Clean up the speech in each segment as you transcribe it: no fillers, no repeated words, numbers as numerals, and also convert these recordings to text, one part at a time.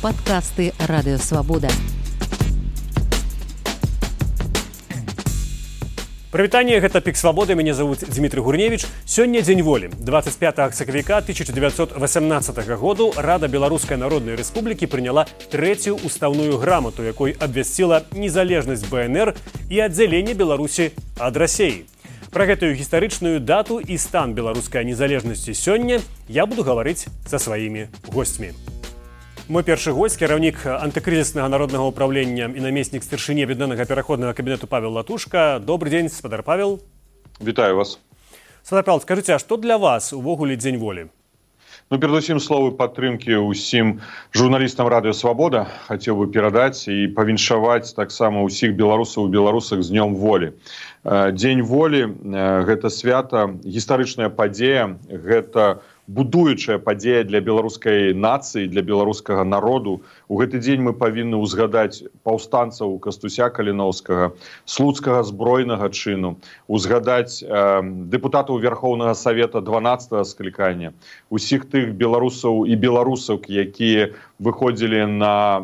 Падкасты Радыёвабода. Прывітанне, гэта Пік Свабоды, мяне зовут Дмітрый Гурневіч. Сёння дзень волі. 25 сакавіка 1918 году Рада Беларускай Народнай Рэспублікі прыняла трэцюю устаўную грамату, якой абвясціла незалежнасць БНР і аддзяленне Беларусі ад Расеі. Пра гэтую гістарычную дату і стан беларускай незалежнасці сёння я буду гаварыць са сваімі госцьмі. Мой першы госць, кіраўнік антыкрызіснага народнага ўправлення і намеснік старшыні аб'яднанага пераходнага кабінету Павел Латушка. Добрый дзень, спадар Павел. Вітаю вас. Спадар Павел, скажыце, а што для вас увогуле дзень волі? Перадусім словы падтрымкі ўсім журналістам Радыёвабода хацеў бы перадаць і павіншаваць таксама ўсіх беларусаў і беларусак з днём волі. Дзень волі – гэта свята, гістарычная падзея, гэта будуючая падзея для беларускай нацыі, для беларускага народу. У гэты дзень мы павінны ўзгадаць паўстанцаў Кастуся Каліноўскага, слуцкага збройнага чыну, узгадаць дэпутатаў Верхоўнага Савета 12-го склікання, усіх тых беларусаў і беларусак, якія выходзілі на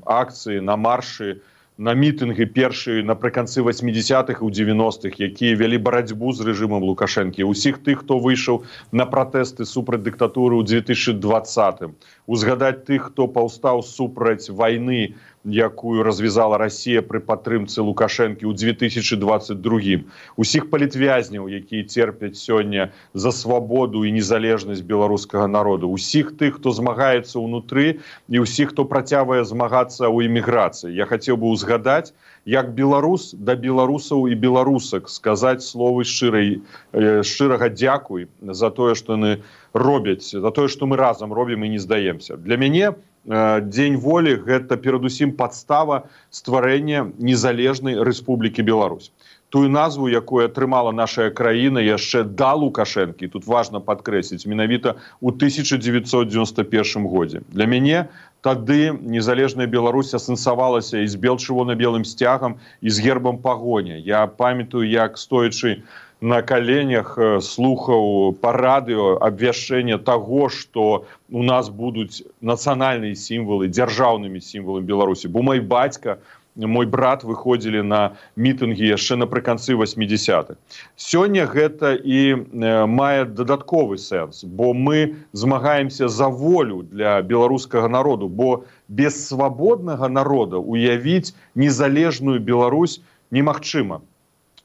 акцыі, на маршы, на мітынгі першыя напрыканцы 80-х і 90-х, якія вялі барацьбу з рэжымам Лукашэнкі, усіх тых, хто выйшаў на пратэсты супраць дыктатуры ў 2020-м, узгадаць тых, хто паўстаў супраць вайны, якую развязала Расія пры падтрымцы Лукашэнкі ў 2022-м, усіх палітвязняў, якія церпяць сёння за свабоду і незалежнасць беларускага народу, усіх тых, хто змагаецца ўнутры і ўсіх, хто працягвае змагацца ў эміграцыі. Я хацеў бы узгадаць, як беларус да беларусаў і беларусак сказаць словы шчырага дзякуй за тое, што яны робяць, за тое, што мы разам робім і не здаемся. Для мяне Дзень волі – гэта перадусім падстава стварэння незалежнай Рэспублікі Беларусь. Тую назву, якую атрымала наша краіна яшчэ да Лукашэнкі, тут важна падкрэсліць, менавіта ў 1991 годзе. Для мяне тады незалежная Беларусь асэнсавалася і з бел-чырвона-белым сцягам, і з гербам пагоня. Я памятаю, як стоячы на коленях слухаў па радыё абвяшчэнне таго, што у нас будуць нацыянальныя сімвалы, дзяржаўнымі сімваламі Беларусі. Бо мой бацька, мой брат выходзілі на мітынгі яшчэ напрыканцы 80-х. Сёння гэта і мае дадатковы сэнс, бо мы змагаемся за волю для беларускага народу, бо без свабоднага народа уявіць незалежную Беларусь немагчыма.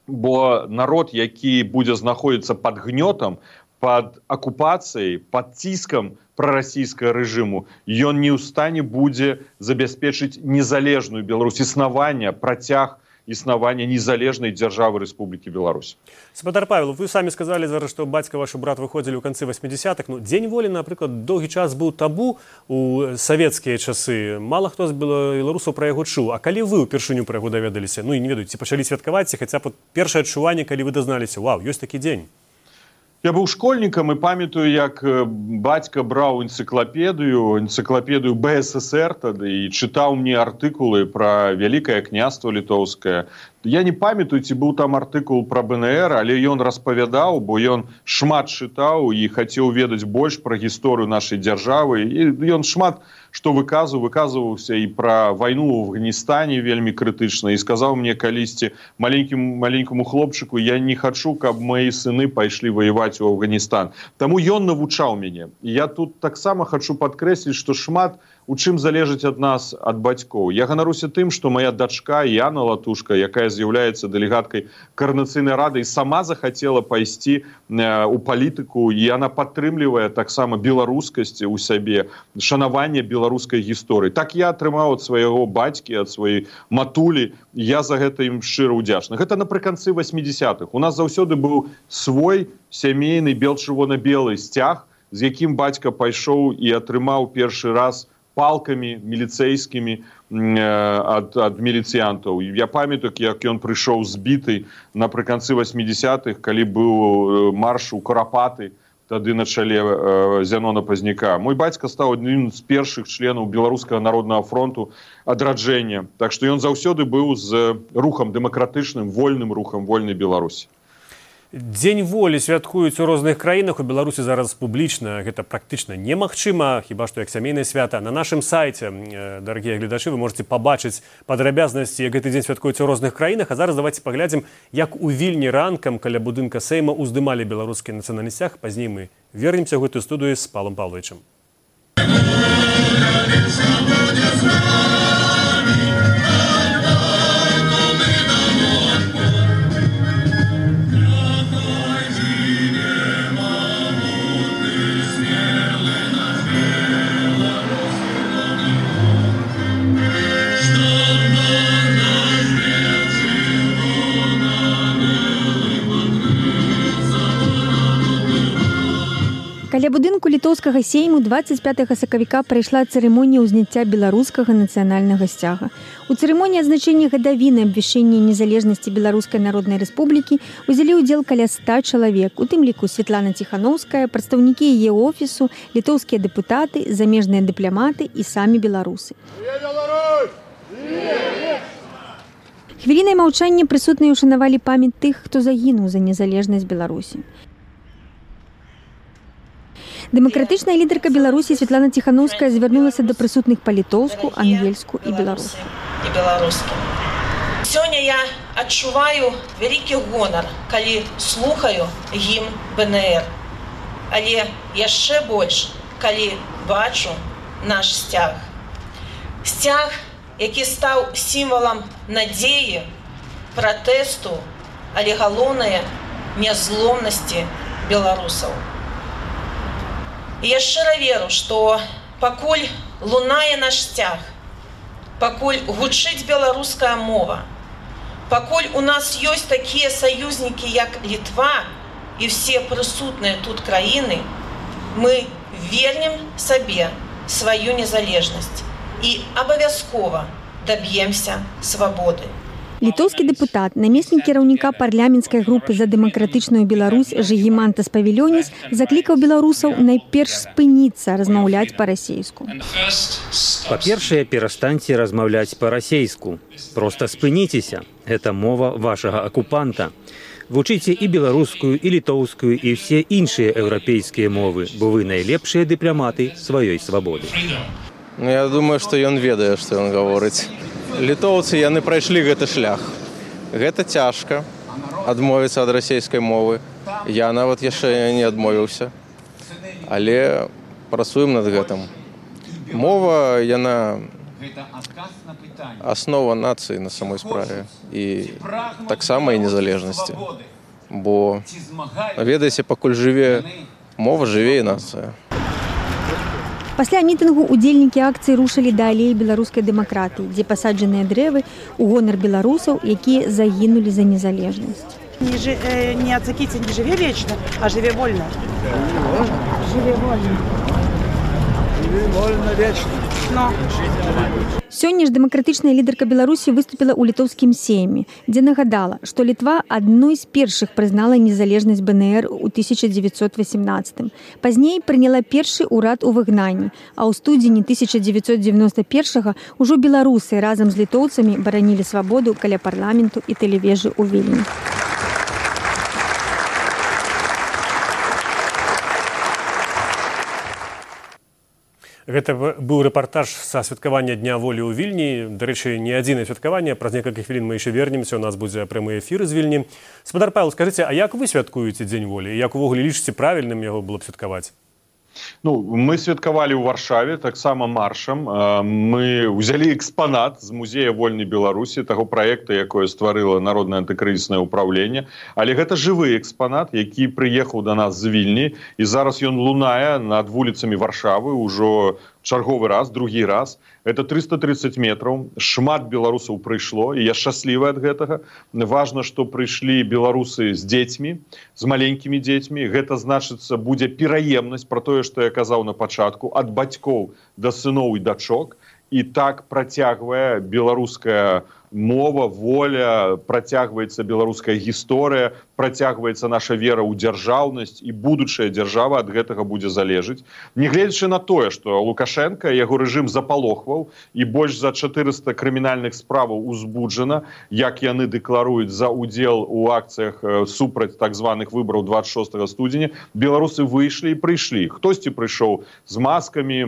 Бо народ, які будзе знаходзіцца пад гнётам, пад акупацыяй, пад ціскам прарасійскага рэжыму, ён не ў стане будзе забяспечыць незалежную Беларусь, існаванне, працяг існавання незалежнай дзяржавы Рэспублікі Беларусь. Спадар Павел, вы самі сказалі зараз, што бацька ваш і брат выходзілі ў канцы 80-х. Дзень волі, напрыклад, доўгі час быў табу ў савецкія часы. Мала хто з беларусаў пра яго чуў. А калі вы ўпершыню пра яго даведаліся? Ну і не ведаю, ці пачалі святкаваць, ці хаця б першае адчуванне, калі вы дазналіся, вау, ёсць такі дзень. Я быў школьнікам і памятаю, як бацька браў энцыклапедыю БССР тады і чытаў мне артыкулы пра Вялікае княства літоўскае. Я не памятаю, ці быў там артыкул пра БНР, але ён распавядаў, бо ён шмат чытаў і хацеў ведаць больш пра гісторыю нашай дзяржавы. І ён шмат што выказваўся і пра вайну ў Афганістане вельмі крытычна. І сказаў мне калісьці маленькаму хлопчыку, я не хачу, каб мои сыны пайшлі ваяваць у Афганістан. Таму ён навучаў мяне. І я тут таксама хачу падкрэсліць, што шмат у чым залежыць ад нас, ад бацькоў. Я ганаруся тым, што моя дачка Яна Латушка, якая з'яўляецца дэлегаткай Коордынацыйнай рады, сама захацела пайсці у палітыку, і яна падтрымлівае таксама беларускасць у сябе, шанаванне беларускай гісторыі. Так я атрымаў ад свайго бацькі, ад сваёй матулі, я за гэта ім шчыра ўдзячны. Гэта напрыканцы 80-х. У нас заўсёды быў свой сямейны бел-чырвона-белы сцяг, з якім бацька пайшоў і атрымаў першы раз палкамі міліцэйскімі ад міліцыянтаў. Я памятаю, як ён прыйшоў збіты напрыканцы 80-х, калі быў марш у Карапаты, тады на чале Зянона Пазняка. Мой бацька стаў адным з першых членаў Беларускага народнага фронту адраджэння. Так што ён заўсёды быў з рухам дэмакратычным, вольным рухам вольнай Беларусі. Дзень волі святкуюць у розных краінах. У Беларусі зараз публічна гэта практычна немагчыма, хіба што як сямейнае свята. На нашым сайце, дарагія гледачы, вы можете пабачыць падрабязнасці, як гэты дзень святкуецца ў розных краінах. А зараз давайте паглядзім, як у Вільні ранкам каля будынка Сейма уздымалі беларускі нацыянальны сцяг. Пазней мы вернемся ў гэтую студыю з Павлом Павловичем. Каля будынку літоўскага сейму 25 сакавіка прайшла цырымонія ўзняцця беларускага нацыянальнага сцяга. У цырымоніі адзначэння гадавіны абвяшчэння незалежнасці Беларускай Народнай Рэспублікі узялі ўдзел каля 100 чалавек, у тым ліку Светлана Ціханаўская, прадстаўнікі яе офісу, літоўскія дэпутаты, замежныя дыпламаты і самі беларусы. Хвілінай маўчання прысутныя ушанавалі памяць тых, хто загінуў за незалежнасць Беларусі. Дэмакратычная лідарка Беларусі Светлана Ціханаўская звярнулася да прысутных па-літоўску, ангельску і беларуску. Сёння я адчуваю вялікі гонар, калі слухаю гімн БНР. Але яшчэ больш, калі бачу наш сцяг. Сцяг, які стаў сімвалам надзеі, пратэсту, але галоўнае нязломнасці беларусаў. І я шчыра веру, што пакуль лунае наш сцяг, пакуль гучыць беларуская мова, пакуль у нас ёсць такія саюзнікі, як Літва і ўсе прысутныя тут краіны, мы вернем сабе сваю незалежнасць і абавязкова даб'емся свабоды. Літоўскі дэпутат, намеснік кіраўніка парламенцкай групы за дэмакратычную Беларусь Жыгімантас Павілёніс заклікаў беларусаў найперш спыніцца размаўляць па-расейску. Па-першае, перастаньце размаўляць па-расейску. Проста спыніцеся. Гэта мова вашага акупанта. Вучыце і беларускую, і літоўскую, і ўсе іншыя еўрапейскія мовы, бо вы найлепшыя дыпламаты сваёй свабоды. Я думаю, што ён ведае, што ён гаворыць. Літоўцы, яны прайшлі гэты шлях. Гэта цяжка, адмовіцца ад расейскай мовы. Я нават яшчэ не адмовіўся. Але працуем над гэтым. Мова, яна аснова нацыі на самой справе. І таксама і незалежнасці. Бо, ведаеце, пакуль жыве мова, жыве і нацыя. Пасля мітынгу удзельнікі акцыі рушылі да алеі беларускай дэмакратыі, дзе пасаджаныя дрэвы ў гонар беларусаў, якія загінулі за незалежнасць. Не ацакіце, не жыве вечна, а жыве вольна. Жыве вольна. Жыве вольна вечна. Сёння ж дэмакратычная лідарка Беларусі выступіла ў літоўскім сейме, дзе нагадала, што Літва адной з першых прызнала незалежнасць БНР у 1918. Пазней прыняла першы ўрад у выгнанні, а ў студзені 1991 ўжо беларусы разам з літоўцамі баранілі свабоду каля парламенту і тэлевежы ў Вільні. Гэта быў рэпартаж са святкавання Дня волі ў Вільні. Дарэчы, не адзінае святкаванне. Праз некалькі хвілін мы яшчэ вернемся. У нас будзе прямы эфір з Вільні. Спадар Павел, скажыце, а як вы святкуеце Дзень волі? Як увогуле лічыце правільным яго было б святкаваць? Мы святкавалі ў Варшаве таксама маршам. Мы ўзялі экспанат з музея вольнай Беларусі, таго праекта, якое стварыла народнае антыкрызіснае ўпраўленне. Але гэта жывы экспанат, які прыехаў да нас з Вільні, і зараз ён лунае над вуліцамі Варшавы ўжо чарговы раз, другі раз. Это 330 метраў. Шмат беларусаў прыйшло, і я шчаслівы ад гэтага. Важна, што прыйшлі беларусы з дзецьмі, з маленькімі дзецьмі. Гэта, значыцца, будзе пераемнасць пра тое, што я казаў на пачатку, ад бацькоў да сыноў і дачок. і так працягвае беларуская мова, воля, працягваецца беларуская гісторыя, працягваецца наша вера ў дзяржаўнасць, і будучая дзяржава ад гэтага будзе залежыць. Нягледзячы на тое, што Лукашенко, яго рэжым запалохваў, і больш за 400 крымінальных справаў узбуджана, як яны дэкларуюць за ўдзел у акцыях супраць так званых выбараў 26 студзеня, беларусы выйшлі і прыйшлі. Хтосьці прыйшоў з маскамі,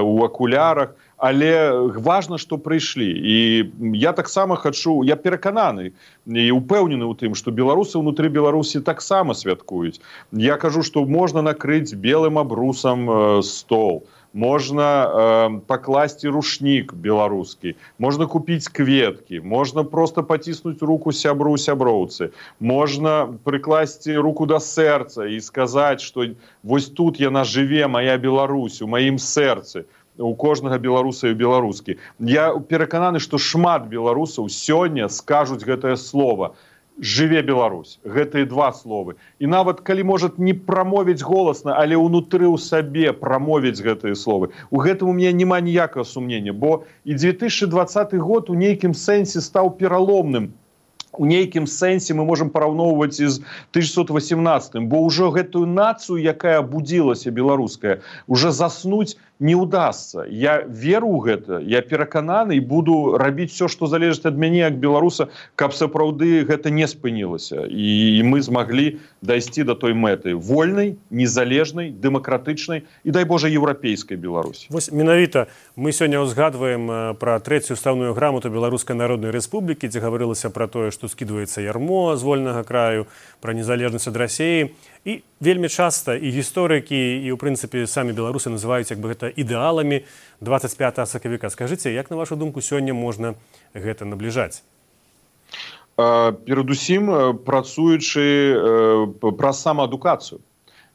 у акулярах, але важна, што прыйшлі. І я таксама хачу, я перакананы і упэўнены ў тым, што беларусы ўнутры Беларусі таксама святкуюць. Я кажу, што можна накрыць белым абрусам стол, можна пакласці рушнік беларускі, можна купіць кветкі, можна проста паціснуць руку сябру сяброўцы, можна прыкласці руку да сэрца і сказаць, што вось тут яна жыве, моя Беларусь, у маім сэрцы, у кожнага беларуса і беларускі. Я перакананы, што шмат беларусаў сёння скажуць гэтае слово. Жыве Беларусь. Гэтыя два словы. І нават калі, можа, не прамовіць голасна, але ўнутры ў сабе прамовіць гэтыя словы. У гэтым у мяне няма ніякага сумнення, бо і 2020 год у нейкім сэнсе стаў пераломным. У нейкім сэнсе мы можам параўноўваць з 1918, бо ўжо гэтую нацыю, якая абудзілася беларуская, уже заснуць не ўдасца. Я веру ў гэта, я перакананы і буду рабіць все, што залежыць ад мяне як беларуса, каб сапраўды гэта не спынілася. І мы змаглі дайсці да той мэты вольнай, незалежнай, дэмакратычнай і, дай Божа, еўрапейскай Беларусі. Вось менавіта мы сёння ўзгадваем пра трэцюю устаўную грамату Беларускай Народнай Рэспублікі, дзе гаварылася пра тое, што скідваецца ярмо з вольнага краю, пра незалежнасць ад Расіі. І вельмі часта і гісторыкі, і, ў прынцыпе, самі беларусы называюць як бы гэта ідэаламі 25 сакавіка. Скажыце, як, на вашу думку, сёння можна гэта набліжаць? Перадусім, працуючы праз самаадукацыю.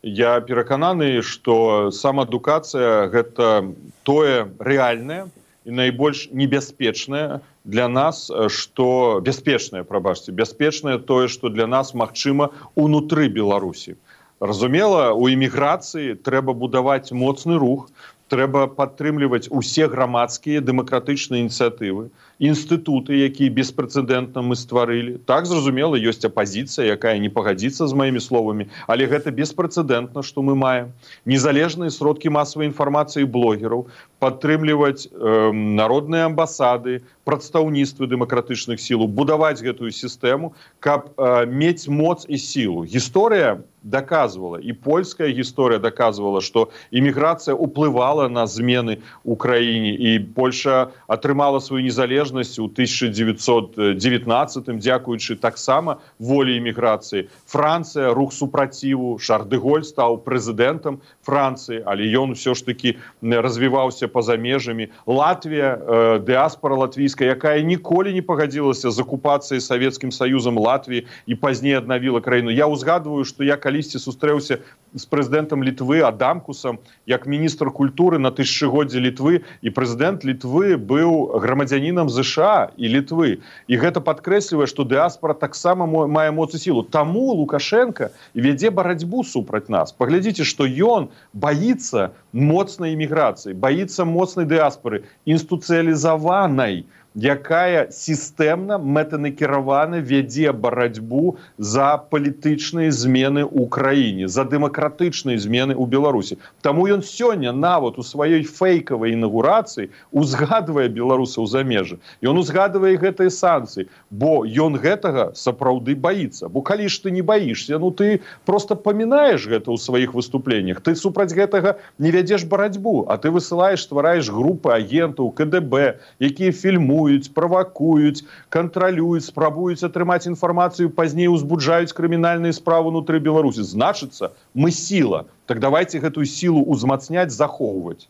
Я перакананы, што самаадукацыя – гэта тое рэальнае і найбольш небяспечнае для нас, што бяспечнае, прабачце, бяспечнае тое, што для нас магчыма унутры Беларусі. Разумела, у эміграцыі трэба будаваць моцны рух, трэба падтрымліваць усе грамадскія дэмакратычныя ініцыятывы, інстытуты, якія беспрэцэдэнтна мы стварылі. Так, зразумела, ёсць апазіцыя, якая не пагадзіцца з маімі словамі, але гэта беспрэцэдэнтна, што мы маем. Незалежныя сродкі масавай інфармацыі блогераў, падтрымліваць народныя амбасады, прадстаўніцтвы дэмакратычных сілаў, будаваць гэтую сістэму, каб мець моц і сілу. Гісторыя доказывала, и польская история доказывала, что иммиграция уплывала на змены ў краіне, и Польша атрымала свою незалежнасць у 1919-м, дзякуючы таксама волі иммиграции. Франция, рух супраціву, Шарль де Голль стаў прэзідэнтам Франции, але ён все ж таки развіваўся па-за межамі. Латвія, дыаспора латвійская, якая ніколі не пагадзілася з акупацыяй Савецкім Саюзам Латвіі і пазней аднавіла краіну. Я ўзгадваю, што я калісьці сустрэўся з прэзідэнтам Літвы Адамкусам як міністр культуры на тысячагоддзе Літвы, і прэзідэнт Літвы быў грамадзянінам ЗША і Літвы. І гэта падкрэслівае, што дыаспора таксама мае моц і сілу. Таму Лукашенко вядзе барацьбу супраць нас. Паглядзіце, што ён баіцца моцнай іміграцыі, баіцца моцнай дыаспоры, інстытуцыялізаванай, якая сістэмна, мэтанакіравана вядзе барацьбу за палітычныя змены ў краіне, за дэмакратычныя змены ў Беларусі. Таму ён сёння нават у сваёй фэйкавай інаўгурацыі узгадвае беларусаў за межы. Ён узгадвае гэтыя санкцыі, бо ён гэтага сапраўды баіцца. Бо калі ж ты не баішся, ну ты проста памінаеш гэта ў сваіх выступленнях. Ты супраць гэтага не вядзеш барацьбу, а ты высылаеш, ствараеш групы агентаў, КДБ, якія фільмуюць, правакуюць, кантралююць, спрабуюць атрымаць інфармацыю, пазней узбуджаюць крымінальныя справы ўнутры Беларусі. Значыцца, мы сіла. Так давайте гэтую сілу узмацняць, захоўваць.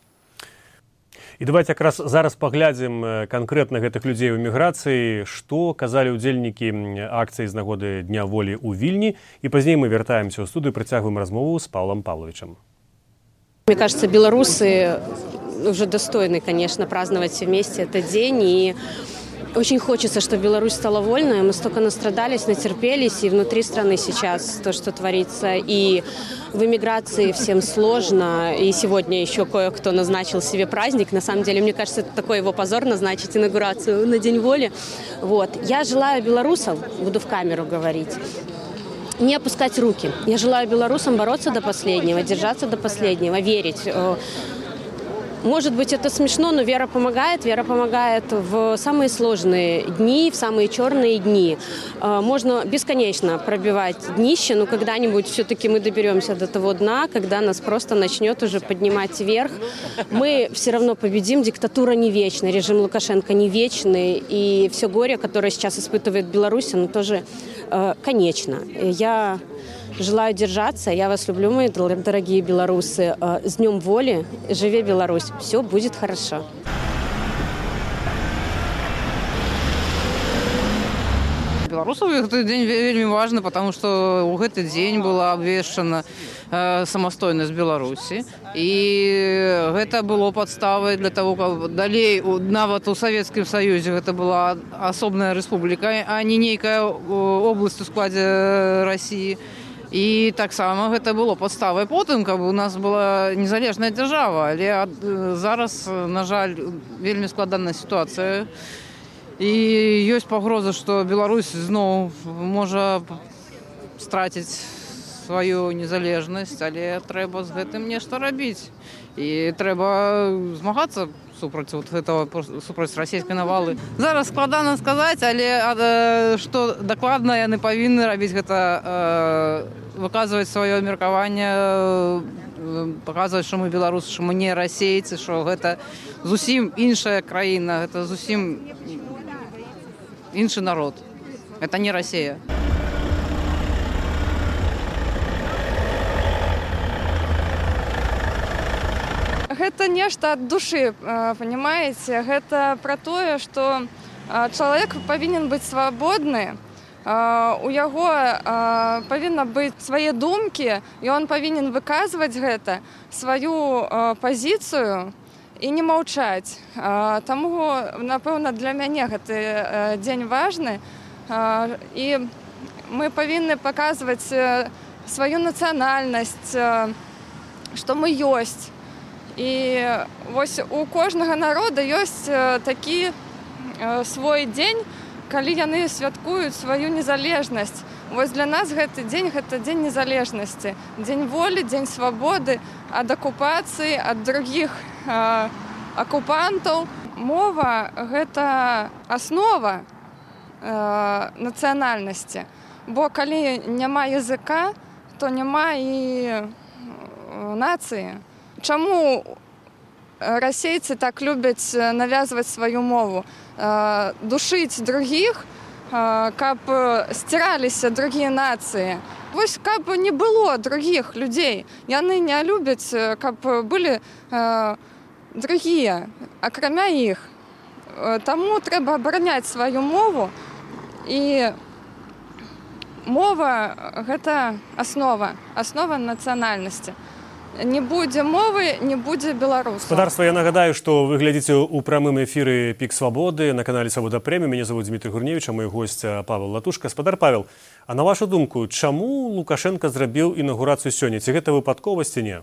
І давайте якраз зараз паглядзім канкрэтна гэтых людзей у эміграцыі, што казалі ўдзельнікі акцыі з нагоды Дня волі ў Вільні, і пазней мы вяртаемся ў студыю, працягваем размову з Павлом Павловичем. Мне кажется, белорусы уже достойны, конечно, праздновать вместе этот день. И Очень хочется, чтобы Беларусь стала вольной. Мы столько настрадались, натерпелись, и внутри страны сейчас то, что творится. И в эмиграции всем сложно. И сегодня еще кое-кто назначил себе праздник. На самом деле, мне кажется, это такой его позор назначить инаугурацию на День воли. Вот. Я желаю белорусам, буду в камеру говорить, не опускать руки. Я желаю белорусам бороться до последнего, держаться до последнего, верить. Может быть, это смешно, но вера помогает. Вера помогает в самые сложные дни, в самые черные дни. Можно бесконечно пробивать днище, но когда-нибудь все-таки мы доберемся до того дна, когда нас просто начнет уже поднимать вверх. Мы все равно победим. Диктатура не вечна, режим Лукашенко не вечный. И все горе, которое сейчас испытывает Беларусь, оно тоже конечно. Я желаю держаться. Я вас люблю, мои дорогие белорусы. С Днем воли. Живи Беларусь. Все будет хорошо. Беларусаў гэты дзень вельмі важны, потому што ў гэты дзень была абвешчана самастойнасць Беларусі. І гэта было падставай для того, каб далей нават у Савецкім Саюзе гэта была асобная рэспубліка, а не нейкая обласць у складзе Расіі. І таксама гэта было падставай потым, каб у нас была незалежная дзяржава, але зараз, на жаль, вельмі складаная сітуацыя. І ёсць пагроза, што Беларусь зноў можа страціць сваю незалежнасць, але трэба з гэтым нешта рабіць. І трэба змагацца супраць расійскай навалы. Зараз складана сказаць, але што дакладна яны павінны рабіць гэта, выказваць сваё меркаванне, паказваць, што мы беларусы, што мы не расейцы, што гэта зусім іншая краіна, гэта зусім іншы народ. Это не Россия. Гэта нешта ад душы, понимаете? Гэта пра тое, што чалавек павінен быць свабодны, у яго павінна быць свае думкі, і он павінен выказваць гэта, сваю пазіцыю, і не маўчаць. Таму, напэўна, для мяне гэты дзень важны. І мы павінны паказваць сваю нацыянальнасць, што мы ёсць. І вось у кожнага народа ёсць такі свой дзень, калі яны святкуюць сваю незалежнасць. Вось для нас гэты дзень – гэта дзень незалежнасці. Дзень волі, дзень свабоды ад акупацыі, ад другіх акупантаў. Мова – гэта аснова нацыянальнасці. Бо калі няма языка, то няма і нацыі. Чаму расейцы так любяць навязваць сваю мову? Душыць другіх, каб сціраліся другія нацыі. Вось каб не было другіх людзей. Яны не любяць, каб былі другія, акрамя іх. Таму трэба абараняць сваю мову. І мова – гэта аснова нацыянальнасці. Не будзе мовы, не будзе беларусаў. Спадарства, я нагадаю, што вы глядзіце ў прамым эфіры «Пік свабоды» на канале «Свабода Прэміум». Мяне зовут Дмітрий Гурневич, а мой госць Павел Латушка. Спадар Павел, а на вашу думку, чаму Лукашенко зрабіў інаўгурацыю сёння? Ці гэта выпадковасць, ці не?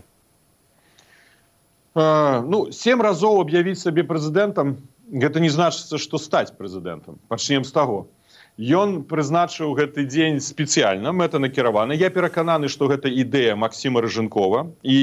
7 разоў аб'явіць сабе прэзідэнтам, гэта не значыцца, што стаць прэзідэнтам. Пачнем з таго. Ён прызначыў гэты дзень спецыяльна, мэта накіравана. Я перакананы, што гэта ідэя Максіма Рыжынкова, і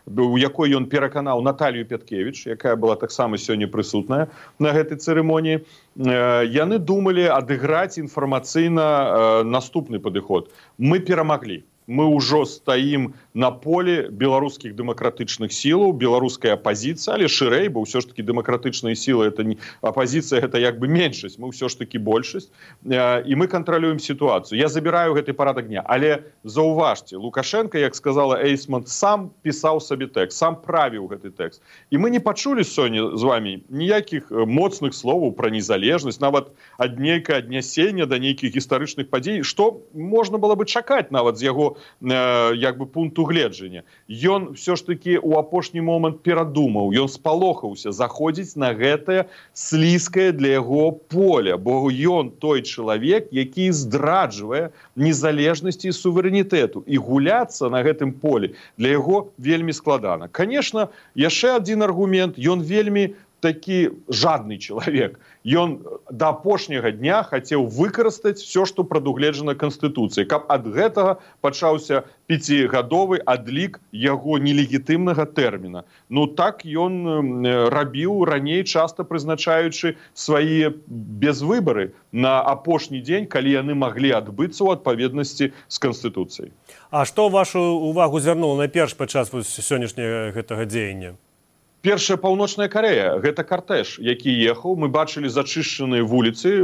у якой ён пераканаў Наталью Пяткевіч, якая была таксама сёння прысутная на гэтай цырымоніі. Яны думалі адыграць інфармацыйна наступны падыход. Мы перамаглі. Мы ўжо стаім на поле беларускіх дэмакратычных сілаў, беларуская апазіцыя, але шырэй, бо ўсё ж такі дэмакратычныя сілы, апазіцыя гэта як бы меншасць, мы ўсё ж такі большасць, і мы кантралюем сітуацыю. Я забіраю гэты парадак дня, але заўважце, Лукашенко, як сказала Эйсман, сам пісаў сабе тэкст, сам правіў гэты тэкст. І мы не пачулі сёння з вами ніякіх моцных словаў пра незалежнасць, нават ад нейкае аднясення да нейкіх гістарычных падзей, што можна было бы чакаць нават з яго яго як бы пункту гледжання. Ён все ж таки у апошні момант перадумаў, ён спалохаўся заходзіць на гэтае слізкае для яго поля, бо ён той чалавек, які здраджвае незалежнасці і суверэнітэту. І гуляцца на гэтым полі для яго вельмі складана. Конечно, яшчэ адзін аргумент, ён вельмі такі жадны чалавек. Ён да апошняга дня хацеў выкарыстаць все, што прадугледжана Канстытуцыяй, каб ад гэтага пачаўся 5гадовы адлік яго нелегітымнага тэрміна. Ну так ён рабіў раней, часта прызначаючы свае безвыбары на апошні дзень, калі яны маглі адбыцца ў адпаведнасці з Канстытуцыяй. А што вашу увагу звярнула найперш падчас сённяшняга гэтага дзеяння? Першая Паўночная Карэя, гэта картэж, які ехаў. Мы бачылі зачышчаныя вуліцы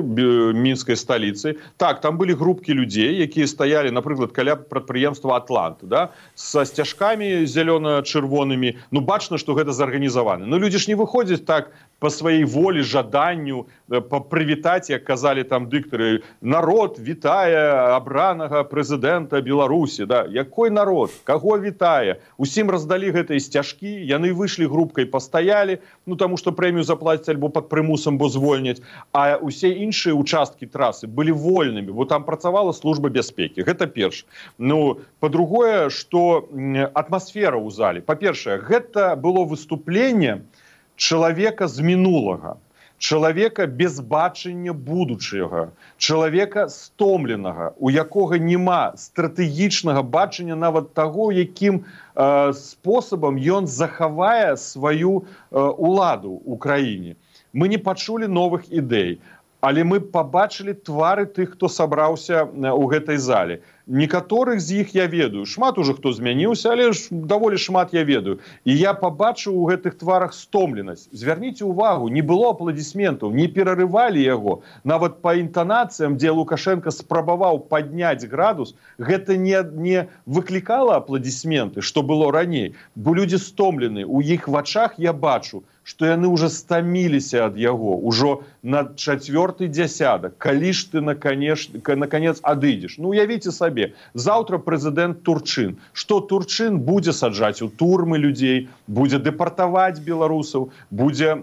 мінскай сталіцы. Так, там былі групкі людзей, якія стаялі, напрыклад, каля прадпрыемства «Атлант», да? Са сцяжкамі зялёна-чырвонымі. Ну, бачна, што гэта зарганізавана. Но людзі ж не выходзяць так по сваей волі, жаданню, прывітаць, як казалі там дыктары, народ вітае абранага прэзідэнта Беларусі. Да? Якой народ? Каго вітае? Усім раздалі гэтыя сцяжкі, яны выйшлі групкай, пастаялі, ну таму што прэмію заплацяць альбо пад прымусам, бо звольняць, а ўсе іншыя участкі трасы былі вольнымі, бо там працавала служба бяспекі. Гэта перш. Ну, па-другое, што атмасфера ў зале. Па-першае, гэта было выступленне чалавека з мінулага, чалавека без бачання будучага, чалавека стомленага, у якога няма стратэгічнага бачання нават таго, якім спосабам ён захавае сваю уладу ў краіне. Мы не пачулі новых ідэй, але мы пабачылі твары тых, хто сабраўся ў гэтай зале. Некаторых з іх я ведаю. Шмат уже хто змяніўся, але ж даволі шмат я ведаю. І я пабачыў у гэтых тварах стомленасць. Звярніце ўвагу, не было апладысментаў, не перарывалі яго. Нават па інтанацыям, дзе Лукашенко спрабаваў падняць градус, гэта не выклікала апладысменты, што было раней. Бо людзі стомлены. У іх вачах я бачу, што яны ўжо стаміліся ад яго, ужо на 4-й дзясятак. Калі ж ты, наконец, адыдзеш? Ну, уявіце сабе, заўтра прэзідэнт Турчын. Што Турчын будзе саджаць у турмы людзей, будзе дэпартаваць беларусаў, будзе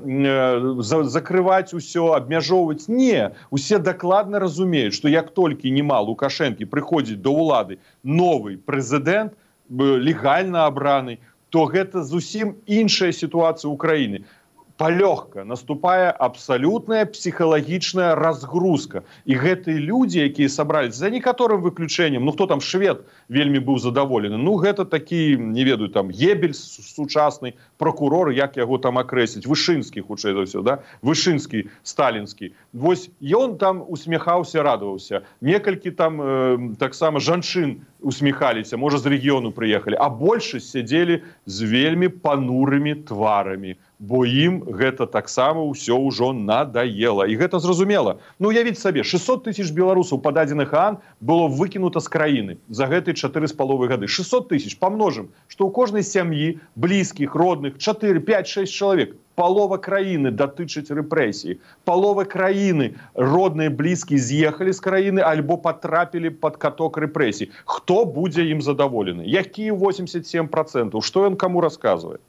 закрываць усё, абмяжоўваць? Не, усе дакладна разумеюць, што як толькі нема Лукашэнкі прыходзіць да ўлады новы прэзідэнт, легальна абраны, то гэта зусім іншая сітуацыя ўкраіны. Палёгка наступае абсалютная псіхалагічная разгрузка. І гэтыя людзі, якія сабраліся, за некаторым выключэннем, ну хто там швед вельмі быў задаволены, ну гэта такі, не ведаю, там Геббельс сучасны, прокурор, як яго там акрэсліць, Вышынскі, хутчэй за ўсё, да? Вышынскі, сталінскі. Вось ён там усміхаўся, радаваўся. Некалькі там таксама жанчын усміхаліся, можа з рэгіёну прыехалі, а большасць сядзелі з вельмі панурымі тварамі, бо ім гэта таксама ўсё ўжо надаела. І гэта зразумела. Ну, уявіць сабе, 600 000 беларусаў па дадзеных ААН было выкінута з краіны за гэтыя 4,5 гады. 600 000 памножым, што ў кожнай сям'і, блізкіх, родных, 4, 5, 6 чалавек. Палова краіны датычыць рэпрэсіі. Палова краіны, родныя, блізкія з'ехалі з краіны альбо патрапілі пад каток рэпрэсій. Хто будзе ім задаволены? Якія 87%? Што ён каму расказвае?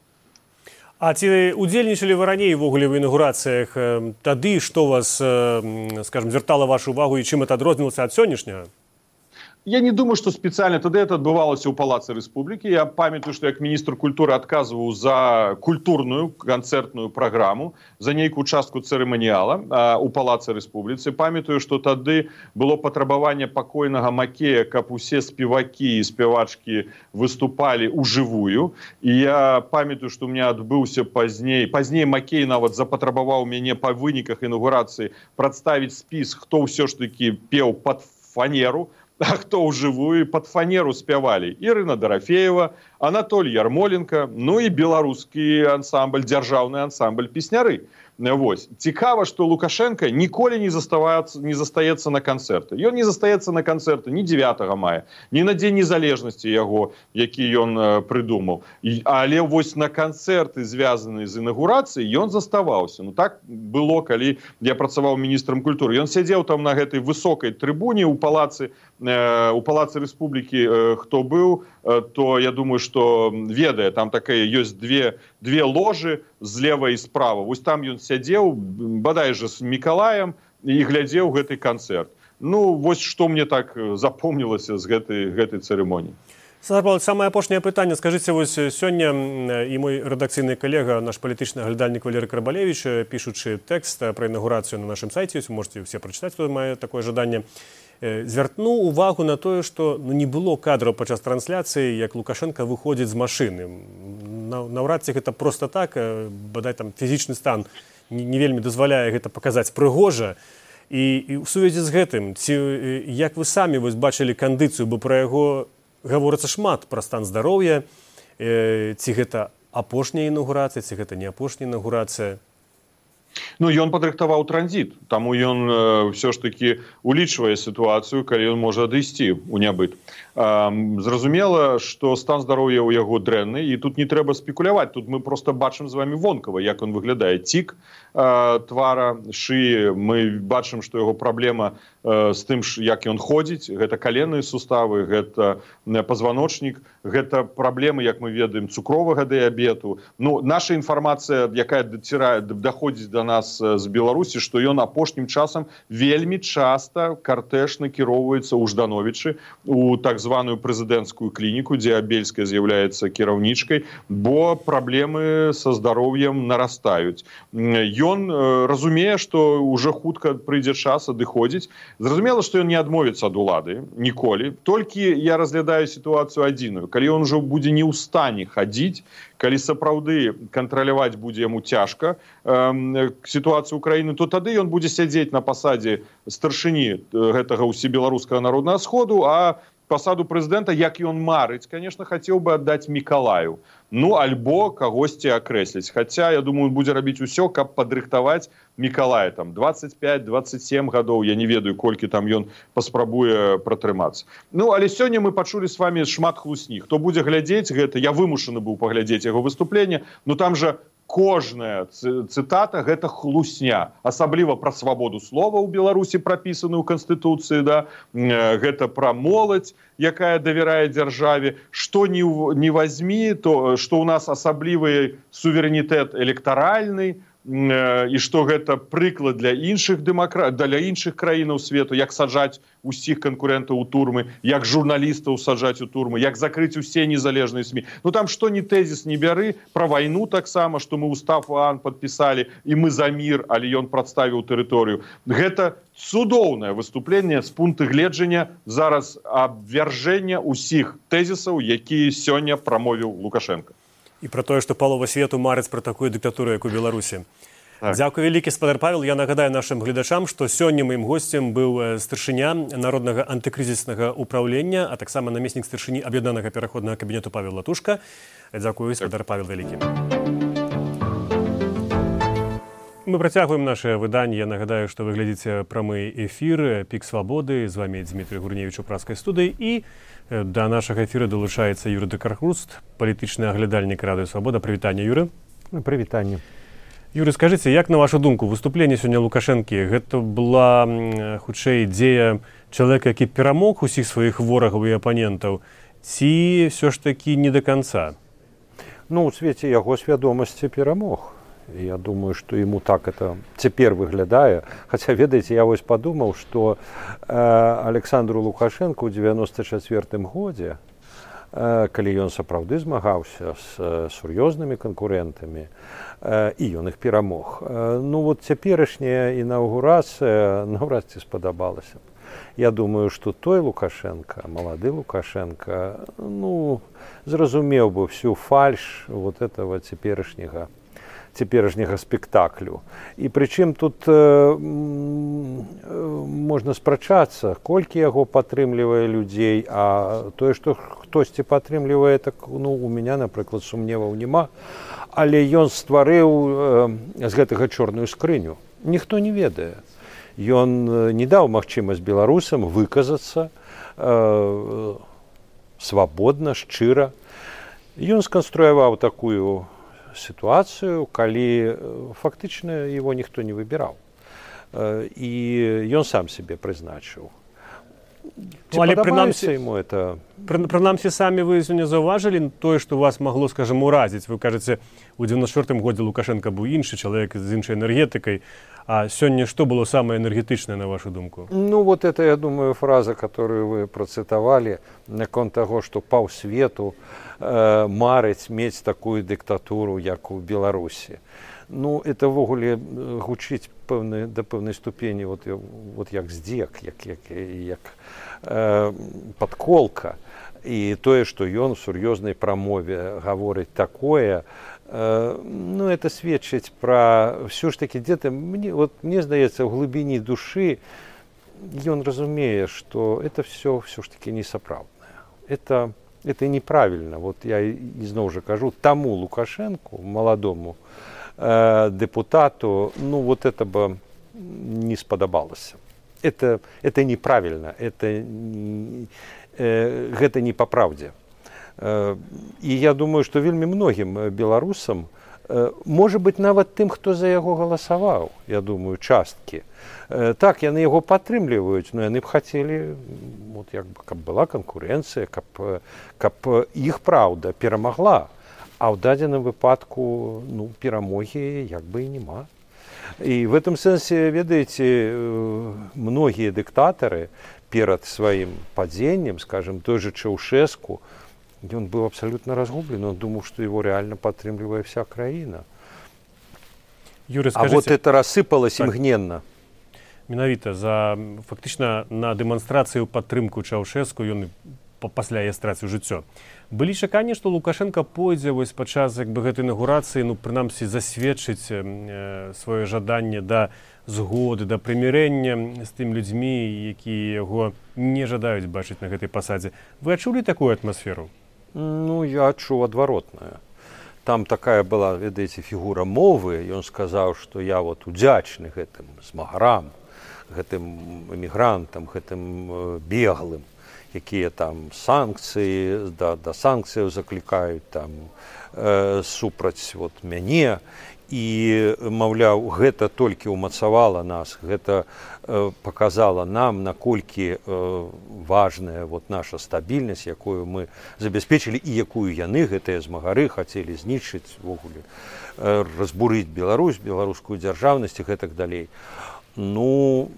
А ці удзельнічалі вы раней увогуле ў інаўгурацыях? Тады што вас, скажем, звяртала вашу увагу і чым это адрознівалася ад сённяшняга? Я не думаю, што спецыяльна тады это адбывалася ў Палацы Рэспублікі. Я памятаю, што як міністр культуры адказваў за культурную канцэртную праграму, за нейкую частку цырыманіяла ў Палацы Рэспубліцы. Памятаю, што тады было патрабаванне пакойнага Макея, каб усе спевакі і спявачкі выступалі ўжывую. І я памятаю, што ў меня адбыўся пазней Макей нават запатрабаваў мяне па выніках інаўгурацыі прадставіць спіс, хто ўсё ж такі пеў пад фанеру, а хто ўжывую пад фанеру спявалі? Ірына Дарафеева, Анатолий Ярмоленко, ну і беларускі ансамбль, дзяржаўны ансамбль песняры. Вось. Цікава, што Лукашенко ніколі не застаецца на канцэрты. Ён не застаецца на канцэрты ні 9 мая, ні на Дзень незалежнасці яго, які ён прыдумаў. Але вось на канцэрты, звязаныя з інаўгурацыяй, ён заставаўся. Ну так было, калі я працаваў міністрам культуры. Ён сядзеў там на гэтай высокай трыбуне ў палацы Рэспублікі, хто быў, то я думаю, што ведае, там такая ёсць две ложы злева і справа. Вось там ён сядзеў, бадай жа з Мікалаем, і глядзеў гэты канцэрт. Ну, вось што мне так запомнілася з гэтай цырымоніі. Саладар Павлович, самае апошняе пытанне. Скажыце, вось сёння і мой рэдакцыйны калега, наш палітычны аглядальнік Валерый Карабалевіч, пішучы тэкст пра інаўгурацыю на нашым сайце, вы можете все прачытаць, хто мае такое жаданне, звярнуў увагу на тое, што не было кадраў падчас трансляцыі, як Лукашенко выходзіць з машыны. Наўрад ці гэта проста так, бадай там фізічны стан не вельмі дазваляе гэта паказаць прыгожа. І ў сувязі з гэтым, ці як вы самі вось бачылі кандыцыю, бо пра яго гаворыцца шмат, пра стан здароўя, ці гэта апошняя інаўгурацыя, ці гэта не апошняя інаўгурацыя? Ну, ён падрыхтаваў транзіт, таму ён ўсё ж такі улічвае сітуацыю, калі ён можа адысці ў нябыт. Зразумела, што стан здароўя ў яго дрэнны, і тут не трэба спекуляваць, тут мы проста бачым з вами вонкава, як ён выглядае. Цік твара, шыі, мы бачым, што яго праблема з тым, як ён ходзіць, гэта каленныя суставы, гэта пазваночнік, гэта праблемы, як мы ведаем, цукровага дыябету. Ну, наша інфармацыя, якая даходзіць да нас з Беларусі, што ён апошнім часам вельмі часта картэж накіроўваецца ў Ждановічы, у так званую прэзідэнцкую клініку, дзе Абельская з'яўляецца кіраўнічкай, бо праблемы са здароўем нарастаюць. Ён разумее, што ўжо хутка прыйдзе час адыходзіць. Зразумела, што ён не адмовіцца ад улады ніколі. Толькі я разглядаю сітуацыю адзіную. Калі ён ужо будзе не ў стане хадзіць, калі сапраўды кантраляваць будзе яму цяжка сітуацыю ўкраіны, то тады ён будзе сядзець на пасадзе старшыні гэтага ўсебеларускага народнага сходу, а пасаду прэзідэнта, як ён марыць, конечно, хацеў бы аддаць Мікалаю. Ну, альбо кагосьці акрэсліць. Хаця, я думаю, будзе рабіць усё, каб падрыхтаваць Мікалая. Там 25-27 гадоў, я не ведаю, колькі там ён паспрабуе пратрымацца. Ну, але сёння мы пачулі з вами шмат хлусні. Хто будзе глядзець гэта, я вымушаны быў паглядзець яго выступленне, но там жа кожная цытата – гэта хлусня. Асабліва пра свабоду слова ў Беларусі, прапісаную ў Канстытуцыі, да? Гэта пра моладзь, якая давярае дзяржаве. Што не вазьмі, то што ў нас асаблівы суверэнітэт электаральны, і што гэта прыклад для іншых краінаў свету, як саджаць усіх канкурэнтаў у турмы, як журналістаў саджаць у турмы, як закрыць усе незалежныя СМІ. Ну там што ні тэзіс не бяры, пра вайну таксама, што мы устав ОАН падпісалі, і мы за мір, але ён прадставіў тэрыторыю. Гэта цудоўнае выступленне з пункту гледжання зараз абвяржэння ўсіх тэзісаў, якія сёння прамовіў Лукашенко. І пра тое, што палова свету марыць пра такую дыктатуру, як у Беларусі. Так. Дзякуй вялікі, спадар Павел. Я нагадаю нашым гледачам, што сёння маім госцем быў старшыня Народнага антыкрызіснага ўпраўлення, а таксама намеснік старшыні Аб'яднанага пераходнага кабінету Павел Латушка. Дзякуй, спадар Павел вялікі. Мы працягваем наше выданне. Я нагадаю, што вы глядзіце прамы эфір «Пік свабоды». З вами Дмітрий Гурневіч у праскай студыі. І да нашага эфіра долучаецца Юрый Декархруст, палітычны аглядальнік Радыё Свабода. Прывітанне, Юры. Прывітанне. Юры, скажыце, як на вашу думку, выступленне сёння Лукашэнкі, гэта была хутчэй дзея чалавека, які перамог усіх сваіх ворагаў і апанентаў, ці ўсё ж такі не да канца? Ну, у свеце яго свядомасці перамог. Я думаю, что ему так это теперь выглядае. Хотя, ведаеце, я вось подумал, что Александру Лукашенко ў 94-м годзе, калі ён сапраўды змагаўся з сур'ёзнымі канкурэнтамі, і ён іх перамог. Ну вот цяперашняя інаўгурацыя наўрад ці спадабалася. Я думаю, что той Лукашенко, малады Лукашенко, ну, зразумеў бы всю фальш вот этого цяперашняга цяперашняга спектаклю. І прычым тут можна спрачацца, колькі яго падтрымлівае людзей, а тое, што хтосьці падтрымлівае, так, ну, у мяне, напрыклад, сумневаў няма, але ён стварыў з гэтага чорную скрыню. Ніхто не ведае. Ён не даў магчымасць беларусам выказацца свабодна, шчыра. Ён сканструяваў такую сітуацыю, калі фактычна его ніхто не выбіраў. І ён сам себе прызначыў. Ці падабаецца яму это? Прынамсі, самі вы не заўважылі тое, што вас магло, скажем, уразіць. Вы кажаце, у 94-м годзе Лукашенко быў іншы чалавек з іншай энергетыкай. А сёння што было самае энергетычнае, на вашу думку? Ну, вот это, я думаю, фраза, которую вы процитовали, наконт таго, што паўсвету марыць мець такую дыктатуру, як у Беларусі. Ну, это ввогуле гучыць да пэўнай ступені, вот як здзек, як падколка. І тое, што ён у сур'ёзнай прамове гаворыць такое, ну, это сведчыць пра ўсё ж такі где-то, мне здаецца, ў глыбіні душы ён разумее, што это все ж таки несапраўднае. Это неправільна. Вот я ізноў жа кажу, таму Лукашенку, маладому депутату, ну, вот это бы не спадабалася. Это неправільна, гэта не па праўдзе. І я думаю, што вельмі многім беларусам, можа быць, нават тым, хто за яго галасаваў, я думаю, часткі. Так, яны яго падтрымліваюць, но яны б хацелі, вот, як бы, каб была канкурэнцыя, каб іх праўда перамагла. А ў дадзеным выпадку, ну, перамогі як бы і няма. І в этом сэнсе, ведаеце, многія дыктатары перад сваім падзеннем, скажем, той же Чаўшэску, ён быў абсалютна разгублен, он думаў, што его реально падтрымлівае вся краіна. Юрий, скажите, а вот это рассыпалось імгненна. Менавіта фактычна на дэманстрацыю падтрымку Чаўшэску ён пасля яе страціў жыццё. Былі чаканні, што Лукашенко пойдзе вось падчас як бы гэтай інаўгурацыі, ну, прынамсі, засведчыць сваё жаданне да згоды, да прымірэння з тым людзьмі, якія яго не жадаюць бачыць на гэтай пасадзе. Вы адчулі такую атмасферу? Ну, я адчуў адваротнае. Там такая была, ведаеце, фігура мовы. Ён сказаў, што я вот удзячны гэтым змагарам, гэтым эмігрантам, гэтым беглым, якія там санкцыі, да санкцыяў заклікаюць там супраць вот мяне. І, маўляў, гэта толькі ўмацавала нас, гэта паказала нам, наколькі важная вот наша стабільнасць, якую мы забяспечылі і якую яны, гэтыя змагары, хацелі знішчыць, ввогуле разбурыць Беларусь, беларускую дзяржаўнасць і гэтак далей. Ну,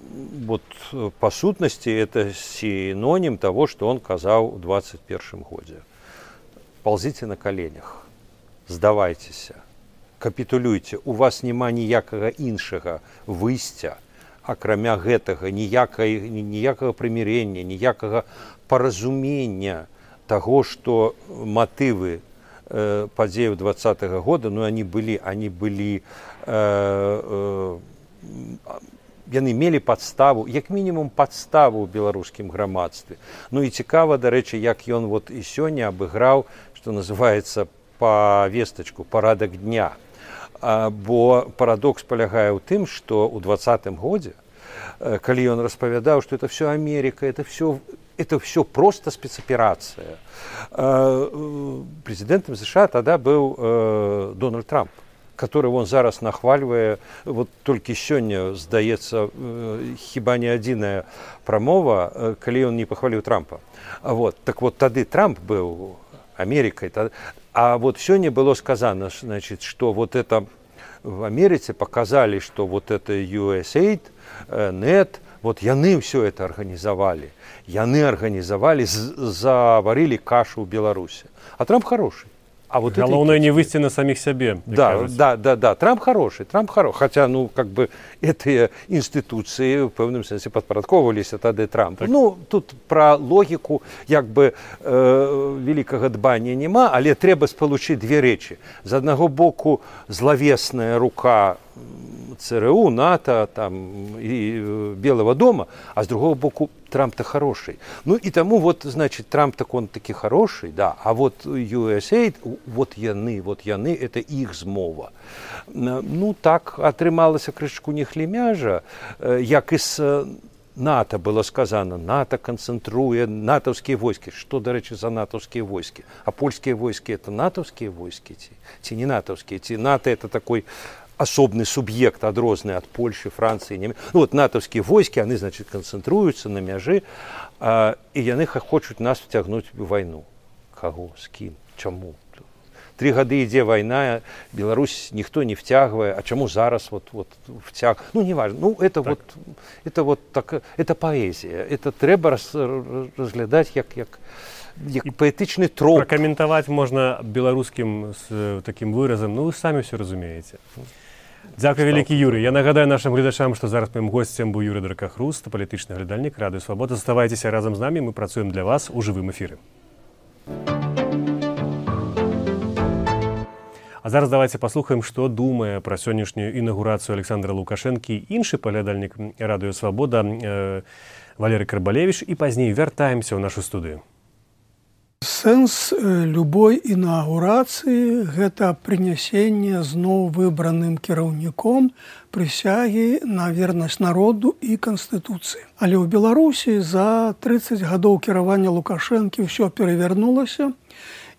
вот по сутнасці это синоним того, что он казаў у 21 годзе. Ползите на коленях, здавайцеся, капітулюйте, у вас няма ніякага іншага выйсця, акрамя гэтага, ніякага прымірення, ніякага паразумення таго, што матывы падзеяў 20-го года, ну, они были яны мелі падставу, як мінімум падставу ў беларускім грамадстве. Ну і цікава, дарэчы, як ён вот і сёння абыграў, што называецца, па вестачку, парадак дня. Бо парадокс палягае ў тым, што ў 20-м годзе, калі ён распавядаў, што это все Америка, это все просто спецаперацыя. Президентом США тогда был Дональд Трамп, которого он зараз нахваливае. Вот толькі сёння, здаецца, хіба не адзіная прамова, калі он не пахваліў Трампа. Вот. Так вот, тады Трамп быў Америкой. А вот сёння было сказано, значит, что вот это в Америке показали, что вот это USAID, NET, вот яны все это организовали. Яны организовали, заварили кашу в Беларуси. А Трамп хороший. А вот главное не выйти на самих себе. Да. Трамп хороший. Хотя, ну, как бы, эти институции в певном сенсі підпорядковувалися тоді Трампу. Так. Ну, тут про логіку, якби, великого дбання нема, але треба сполучити дві речі. З одного боку, зловесна рука ЦРУ, НАТО там, и Белого дома, а с другого боку Трамп-то хороший. Ну и тому вот, значит, Трамп-то он таки хороший, да, а вот USAID, вот яны, это их змова. Ну так атрымалася крышку не хлемяжа, як из НАТО было сказано, НАТО концентруе натовские войски. Что, до речи, за натовские войски? А польские войски это натовские войски? Те не натовские. НАТО это такой особный субъект, одрозный от Польши, Франции, Немецкой. Ну вот натовские войски, они, значит, концентруются на мяжи, и яны хочут нас втягнуть в войну. Кого? С кем? Чему? 3 годы ідзе война, Беларусь никто не втягивает, а чему зараз вот втяг? Ну, не важно. Ну, это так. Это поэзия. Это треба разглядать як поэтичный троп. Прокомментовать можно белорусским с таким выразом, ну, вы сами все разумеете. Дякую, вялікі Юрый. Я нагадаю нашим гледачам, што зараз моим гостем быў Юрый Дракахруст, палітычны глядальнік Радыё Свабода. Заставайцеся разам з намі, мы працуем для вас у жывым эфіры. А зараз давайте паслухаем, што думае пра сённяшнюю інаўгурацыю Александра Лукашэнкі іншы паглядальнік Радыё Свабода Валерый Карбалевич, і пазней вяртаемся ў нашу студыю. Сэнс любой інаўгурацыі – гэта прынясенне зноў выбраным кіраўніком прысягі на вернасць народу і Канстытуцыі. Але ў Беларусі за 30 гадоў кіравання Лукашэнкі ўсё перавярнулася,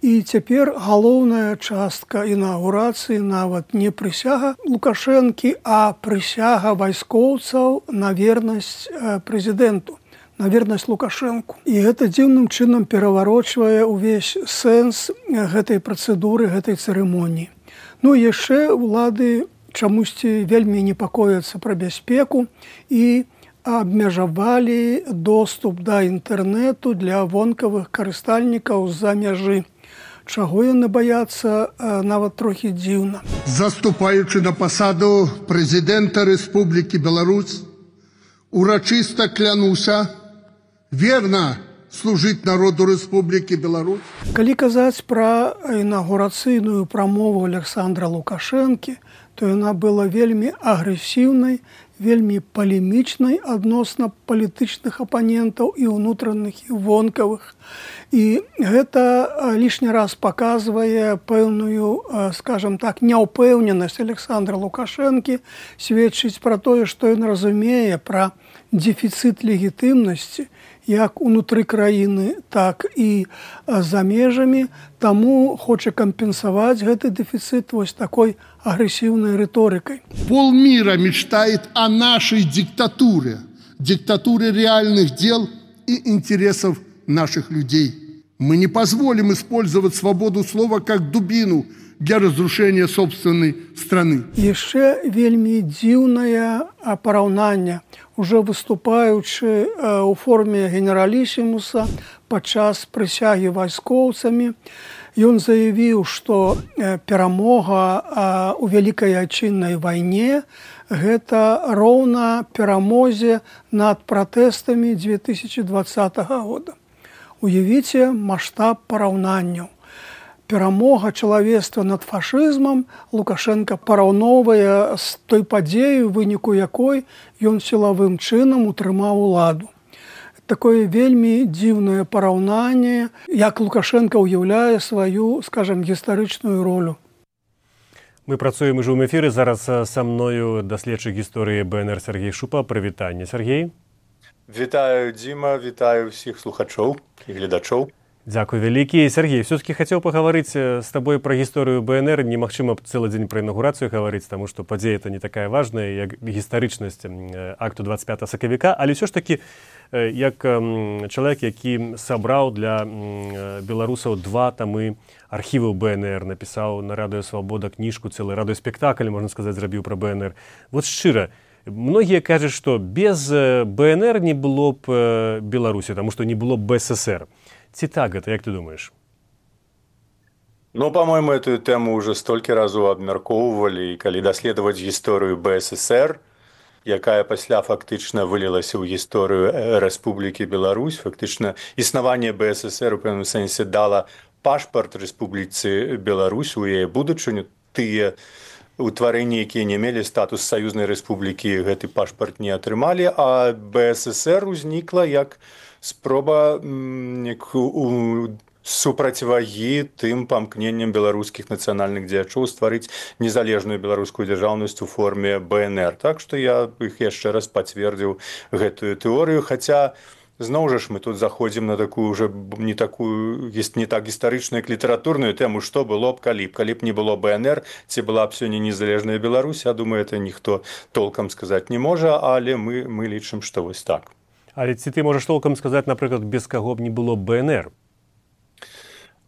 і цяпер галоўная частка інаўгурацыі нават не прысяга Лукашэнкі, а прысяга вайскоўцаў на вернасць прэзідэнту, на вернасць Лукашэнку. І гэта дзіўным чынам пераварочвае ўвесь сэнс гэтай працэдуры, гэтай цырымоніі. Ну і яшчэ улады чамусьці вельмі непакояцца пра бяспеку і абмежавалі доступ да інтэрнэту для вонкавых карыстальнікаў з-за мяжы. Чаго яны баяцца, нават трохі дзіўна. Заступаючы на пасаду прэзідэнта Рэспублікі Беларусь, урачыста клянуся верна служыць народу Рэспублікі Беларусь. Калі казаць пра інаўгурацыйную прамову Александра Лукашэнкі, то яна была вельмі агрэсіўнай, вельмі палемічнай адносна палітычных апанентаў і ўнутраных, і вонкавых. І гэта лішні раз паказвае пэўную, скажам так, няўпэўненасць Александра Лукашэнкі, сведчыць пра тое, што ён разумее пра дэфіцыт легітымнасці як унутры краіны, так і за межамі, таму хоча кампенсаваць гэты дэфіцыт вось такой агрэсіўнай рыторыкай. Полмира мечтает о нашей диктатуре, диктатуре реальных дел и интересов наших людей. Мы не позволим использовать свободу слова как дубину для разрушения собственной страны. Яшчэ вельмі дзіўнае параўнанне. Уже выступаючы у форме генералісімуса падчас прысягі вайскоўцамі, ён заявіў, што перамога ў вялікай айчыннай вайне гэта роўна перамозе над пратэстамі 2020 года. Уявіце маштаб параўнанняў. Перамога чалавецтва над фашызмам Лукашенко параўноўвае з той падзею, выніку якой ён сілавым чынам утрымаў уладу. Такое вельмі дзіўнае параўнанне, як Лукашенко ўяўляе сваю, скажем, гістарычную ролю. Мы працуем ужо ў эфіры. Зараз са мною даследчык гісторыі БНР Сергей Шупа. Прывітанне, Сергей. Вітаю, Дзіма, вітаю ўсіх слухачоў і гледачоў. Дякую вялікі. Сергей, все-таки хотел поговорить с тобой про историю БНР. Немагчыма целый день про инаугурацию говорить, потому что подея это не такая важная, как гістарычнасць акту 25 сакавіка, але все ж таки, як человек, які собрал для беларусаў 2 тамы архіваў БНР, написал на Радыё Свабода книжку, целый радыёспектакль, можно сказать, зрабіў про БНР. Вот шчыра, многие кажут, что без БНР не было б Беларусі, потому что не было б БССР. Ці так гэта, як ты думаеш? Ну, по-моему, эту тему уже столькі разоў абмяркоўвалі, і калі даследаваць гісторыю БССР, якая пасля фактычна вылілася ў гісторыю Рэспублікі Беларусь, фактычна існаванне БССР у пэўным сэнсе дала пашпарт Рэспубліцы Беларусь у яе будучыню. Тыя утварэнні, якія не мелі статус саюзнай рэспублікі, гэты пашпарт не атрымалі, а БССР узнікла як спроба супрацьвагі тым памкненням беларускіх нацыянальных дзеячоў стварыць незалежную беларускую дзяржаўнасць у форме БНР. Так што я іх яшчэ раз пацвердзіў гэтую тэорыю, хаця зноў жа ж мы тут заходзім на такую уже не так гістарычную, як літаратурную тэму, што было б, калі б не было БНР, ці была б сёння незалежная Беларусь. Я думаю, это ніхто толкам сказаць не можа, але мы лічым, што вось так. Але ці ты можаш толкам сказаць, напрыклад, без каго б не было БНР?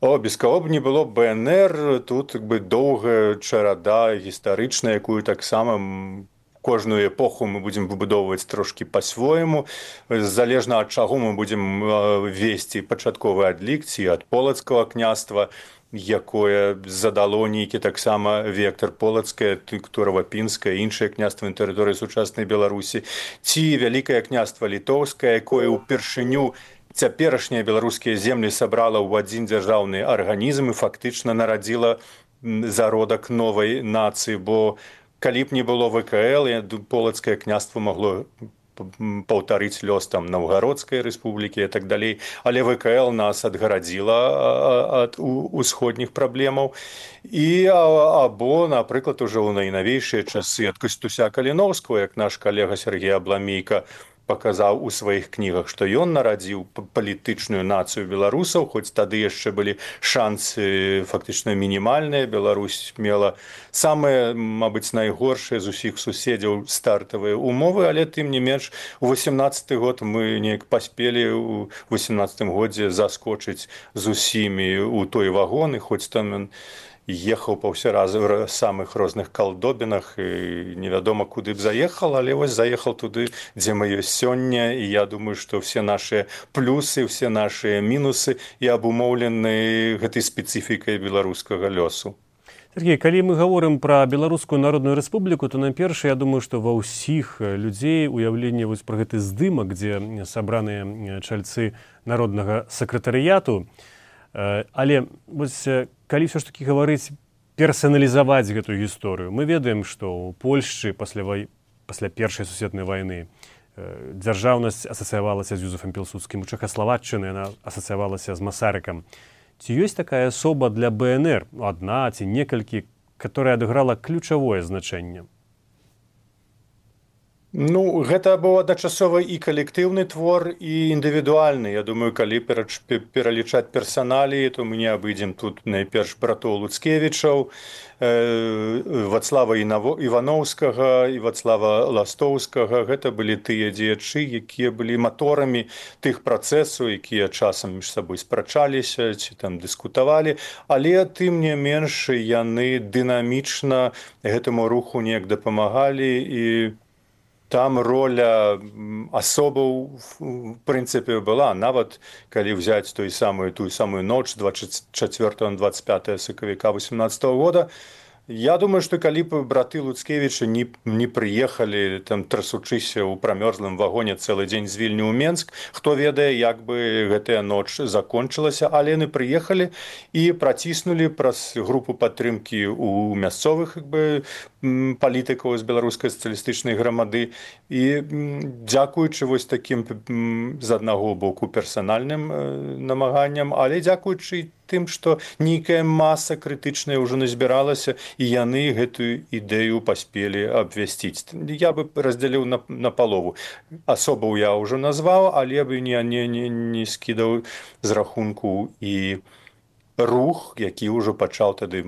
Без каго б не было БНР, тут доўгая чарада гістарычная, якую таксама кожную эпоху мы будзем выбудоўваць трошкі па-свойму. Залежна ад чаго мы будзем весці пачатковы адлік, ці ад полацкага княства, якое задало нейкі таксама вектар полацкае, Турава-Пінскае, іншае княства на тэрыторыі сучаснай Беларусі, ці вялікае княства літоўскае, якое ўпершыню цяперашнія беларускія землі сабрала ў адзін дзяржаўны арганізм і фактычна нарадзіла зародак новай нацыі, бо калі б не было ВКЛ, полацкае княства магло паўтарыць лёс там Наўгародскай рэспублікі і так далей, але ВКЛ нас адгарадзіла ад усходніх праблемаў. І або, напрыклад, ужо ў найнавейшыя часы ад Кастуся Каліноўскага, як наш калега Сергей Абламейка паказаў у сваіх кнігах, што ён нарадзіў палітычную нацыю беларусаў, хоць тады яшчэ былі шансы фактычна мінімальныя. Беларусь мела самыя, мабыць, найгоршыя з усіх суседзяў стартавыя умовы, але тым не менш у 18-й год мы неяк паспелі у 18-м годзе заскочыць з усімі ў той вагон, і хоць там ехаў па ўсе разы ў самых розных калдобінах і невядома куды б заехал, але вось заехал туды, дзе мы ёсць сёння, і я думаю, што все нашыя плюсы, все нашыя мінусы і абумоўлены гэтай спецыфікай беларускага лёсу. Сергей, калі мы гаворым пра Беларускую Народную Рэспубліку, то найперш, я думаю, што ва ўсіх людзей уяўленне вось пра гэты здымак, дзе сабраныя чальцы народнага сакратарыяту. Але вось калі ўсё ж такі гаварыць персаналізаваць гэтую гісторыю, мы ведаем, што ў Польшчы пасля першай сусветнай вайны дзяржаўнасць асацыявалася з Юзефам Пілсудскім, у Чэхаславаччыны яна асацыявалася з Масарыкам. Ці ёсць такая асоба для БНР, адна ці некалькі, которая адыграла ключавое значэнне? Ну, гэта быў адначасова і калектыўны твор, і індывідуальны. Я думаю, калі пералічаць персаналіі, то мы не абыдзем тут найперш братоў Луцкевічаў, Вацлава Івановскага і Вацлава Ластоўскага. Гэта былі тыя дзеячы, якія былі маторамі тых працэсаў, якія часам між сабой спрачаліся ці там дыскутавалі, але тым не менш яны дынамічна гэтаму руху неяк дапамагалі, і там роля асобаў, в прынцыпе, была. Нават калі ўзяць тую самую ноч 24-25 сакавіка 18 года, я думаю, што калі б браты Луцкевічы не прыехалі, там трасучыся ў прамёрзлым вагоне цэлы дзень з Вільні ў Менск, хто ведае, як бы гэтая ноч закончылася, але яны прыехалі і праціснулі праз групу падтрымкі ў мясцовых палітыкаў з беларускай сацыялістычнай грамады. І дзякуючы вось такім з аднаго боку персанальным намаганням, але дзякуючы тым, што нейкая маса крытычная ўжо назбіралася, і яны гэтую ідэю паспелі абвясціць. Я бы раздзяліў на палову. Асобаў я ўжо назваў, але бы не скідаў з рахунку і рух, які ўжо пачаў тады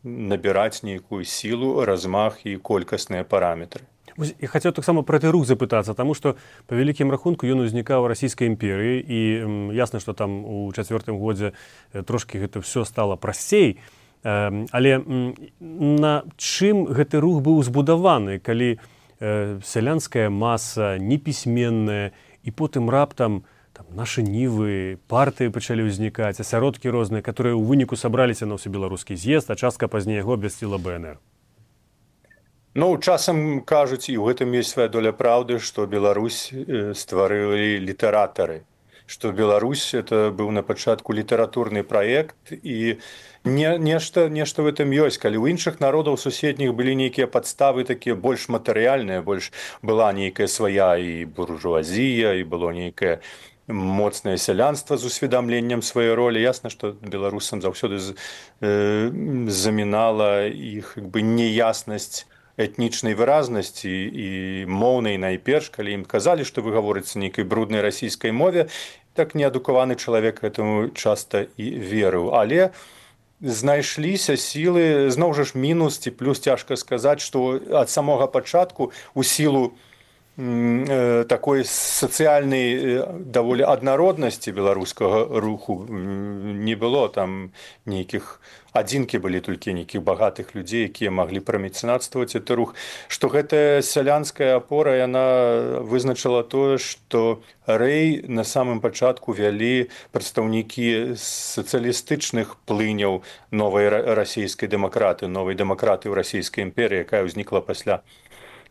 набіраць нейкую сілу, размах і колькасныя параметры. Я хацеў таксама пра гэты рух запытацца, таму што па вялікім рахунку ён узнікаў у расійскай імперыі, і ясна, што там у 4-м годзе трошкі гэта ўсё стала прасцей, але на чым гэты рух быў збудаваны, калі сялянская маса непісьменная, і потым раптам там, нашы нівы, партыі пачалі ўзнікаць, асяродкі розныя, которые ў выніку сабраліся на ўсебеларускі з'езд, а частка пазней яго абвясціла БНР. Ну, часам кажуць, і ў гэтым ёсць свая доля праўды, што Беларусь стварылі літаратары, што Беларусь это быў на пачатку літаратурны праект, і нешта в этом ёсць. Калі ў іншых народаў суседніх былі нейкія падставы такія больш матэрыяльныя, больш была нейкая свая і буржуазія, і было нейкае моцнае сялянства з усведамленнем сваёй ролі. Ясна, што беларусам заўсёды замінала іх неяснасць этнічнай выразнасці і моўнай найперш, калі ім казалі, што вы гаворыце нейкай бруднай расійскай мове, так неадукаваны чалавек гэтаму часта і верыў. Але знайшліся сілы, зноў жа ж мінус ці плюс цяжка сказаць, што ад самога пачатку у сілу такой сацыяльнай даволі аднароднасці беларускага руху не было. Там нейкіх адзінкі былі толькі нейкіх багатых людзей, якія маглі прамецэнатстваваць гэты рух. Што гэтая сялянская апора, яна вызначыла тое, што Рэй на самым пачатку вялі прадстаўнікі сацыялістычных плыняў новай расійскай дэмакраты, новай дэмакраты ў расійскай імперыі, якая ўзнікла пасля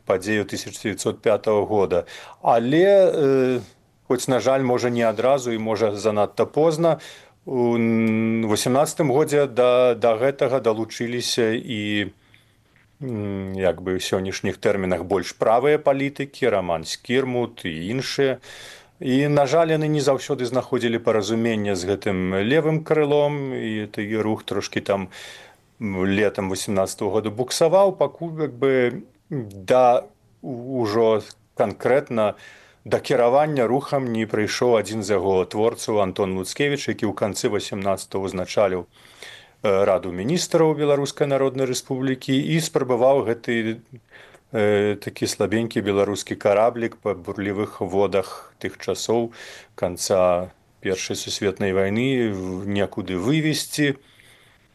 падзею 1905 года. Але, хоць, на жаль, можа не адразу і можа занадта позна, у 18 годзе да гэтага далучыліся і як бы ў сённяшніх тэрмінах больш правыя палітыкі, Роман Скірмут і іншыя. І, на жаль, яны не заўсёды знаходзілі паразумення з гэтым левым крылом, і той рух трошкі там летам 18 года буксаваў, пакуль як бы да ўжо канкрэтна да кіравання рухам не прыйшоў адзін з яго творцаў Антон Луцкевіч, які ў канцы 18-го узначаліў Раду міністраў Беларускай Народнай Рэспублікі і спрабаваў гэты такі слабенькі беларускі караблік па бурлівых водах тых часоў канца Першай сусветнай вайны некуды вывесці.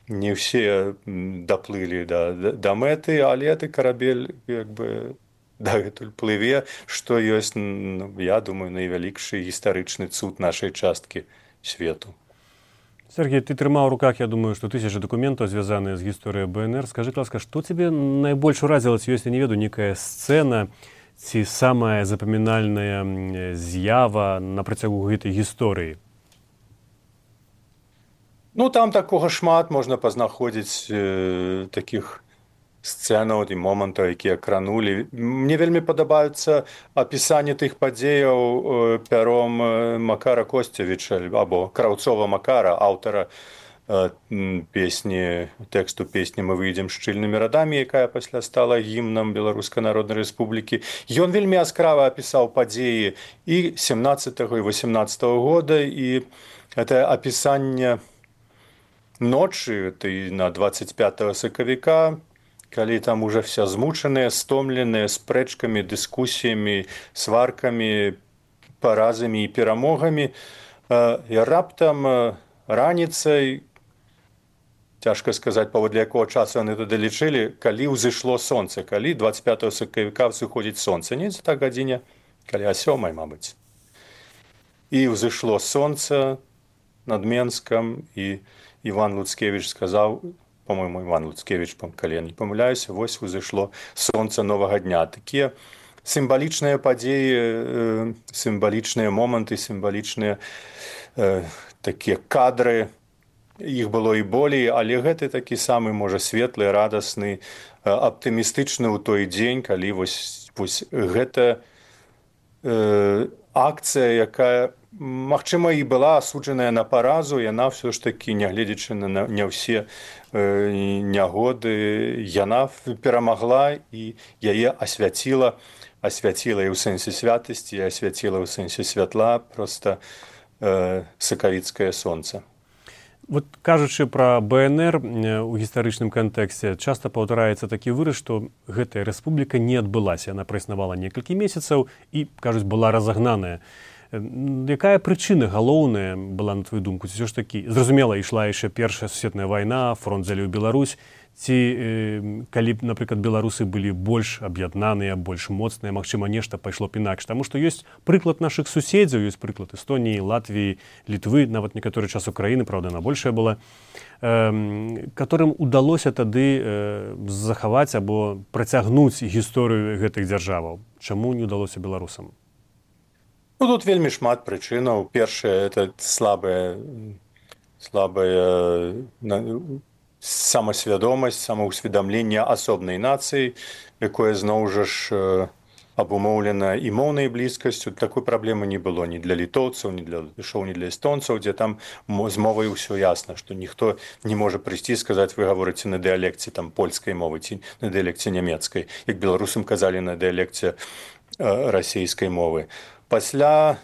Не ўсе даплылі да мэты, але ты карабель як бы дагэтуль плыве, што ёсць, я думаю, найвялікшы гістарычны цуд нашай часткі свету. Сергей, ты трымаў у руках, я думаю, што тысячы дакументаў, звязаныя з гісторыяй БНР. Скажы, ласка, што цябе найбольш уразіла, ці ёсць, я не ведаю, нейкая сцэна, ці самая запамінальная з'ява на працягу гэтай гісторыі? Ну, там такога шмат можна пазнаходзіць такіх сцэнаў і момантаў, якія кранулі. Мне вельмі падабаюцца апісанне тых падзеяў пяром Макара Косцевіча або Краўцова Макара, аўтара песні, тэксту песні «Мы выйдзем шчыльнымі радамі», якая пасля стала гімнам Беларускай Народнай Рэспублікі. Ён вельмі яскрава апісаў падзеі і 17-го і 18-го года, і гэта апісанне ночы на 25 сакавіка, калі там уже вся змучаныя, стомленыя спрэчкамі, дыскусіямі, сваркамі, паразамі і перамогамі. І раптам раніцай, цяжка сказаць, паводле якога часу яны туды лічылі, калі ўзышло сонца, калі 25 сакавіка сыходзіць сонца, не за так гадзіне, калі о 7, мабыць. І ўзышло сонца над Менскам, і Іван Луцкевіч сказаў, по-моему, Іван Луцкевіч, калі я не памыляюся, вось узышло сонца новага дня. Такія сімвалічныя падзеі, сімвалічныя моманты, сімвалічныя такія кадры, іх было і болей, але гэты такі самы, можа, светлы, радасны, аптымістычны ў той дзень, калі вось гэта акцыя, якая, магчыма, і была асуджаная на паразу, яна ўсё ж такі, нягледзячы на не ўсе нягоды, яна перамагла і яе асвяціла і ў сэнсе святасці, і асвяціла ў сэнсе святла проста сакавіцкае сонца. Вот кажучы пра БНР у гістарычным кантэксце, часта паўтараецца такі выраз, што гэтая рэспубліка не адбылася. Яна праіснавала некалькі месяцаў і, кажуць, была разагнаная. Якая прычына галоўная была, на твою думку? Ці ўсё ж такі, зразумела, ішла яшчэ Першая сусветная вайна, фронт заліў Беларусь, ці калі б, напрыклад, беларусы былі больш аб'яднаныя, больш моцныя, магчыма, нешта пайшло б інакш. Таму што ёсць прыклад нашых суседзяў, ёсць прыклад Эстоніі, Латвіі, Літвы, нават некаторы час Украіны, праўда, на большая была, которым удалося тады захаваць або працягнуць гісторыю гэтых дзяржаваў. Чаму не ўдалося беларусам? Ну, тут вельмі шмат прычынаў. Першае, это слабая самасвядомасць, самаўсведамленне асобнай нацыі, якое зноў жа ж абумоўлена і моўнай блізкасцю. Такой праблемы не было ні для літоўцаў, ні для эстонцаў, дзе там з мовай усё ясна, што ніхто не можа прыйсці і сказаць, вы гаворыце на дыялекце там польскай мовы ці на дыялекце нямецкай, як беларусам казалі на дыялекце расійскай мовы. Пасля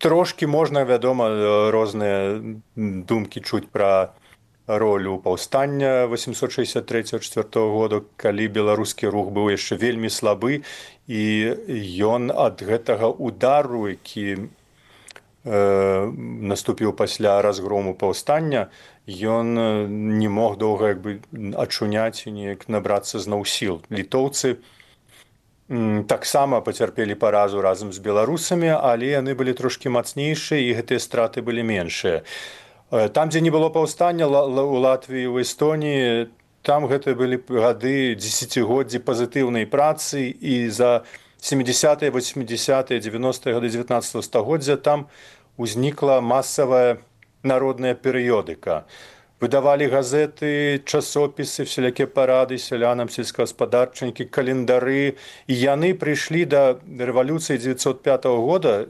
трошкі можна, вядома, розныя думкі чуць пра ролю паўстання 863-4 года, калі беларускі рух быў яшчэ вельмі слабы, і ён ад гэтага удару, які наступіў пасля разгрому паўстання, ён не мог доўга ачуняць і неяк набрацца зноў сіл. Літоўцы таксама пацярпелі паразу разам з беларусамі, але яны былі трошкі мацнейшыя і гэтыя страты былі меншыя. Там, дзе не было паўстання, у Латвіі, у Эстоніі, там гэта былі гады дзесяцігоддзі пазітыўнай працы, і за 70-е, 80-е, 90-е гады 19 стагоддзя там узнікла масавая народная перыёдыка. Выдавалі газеты, часопісы, всялякія парады сялянам, сельскагаспадарчнікі, календары. І яны прыйшлі да рэвалюцыі 1905 года,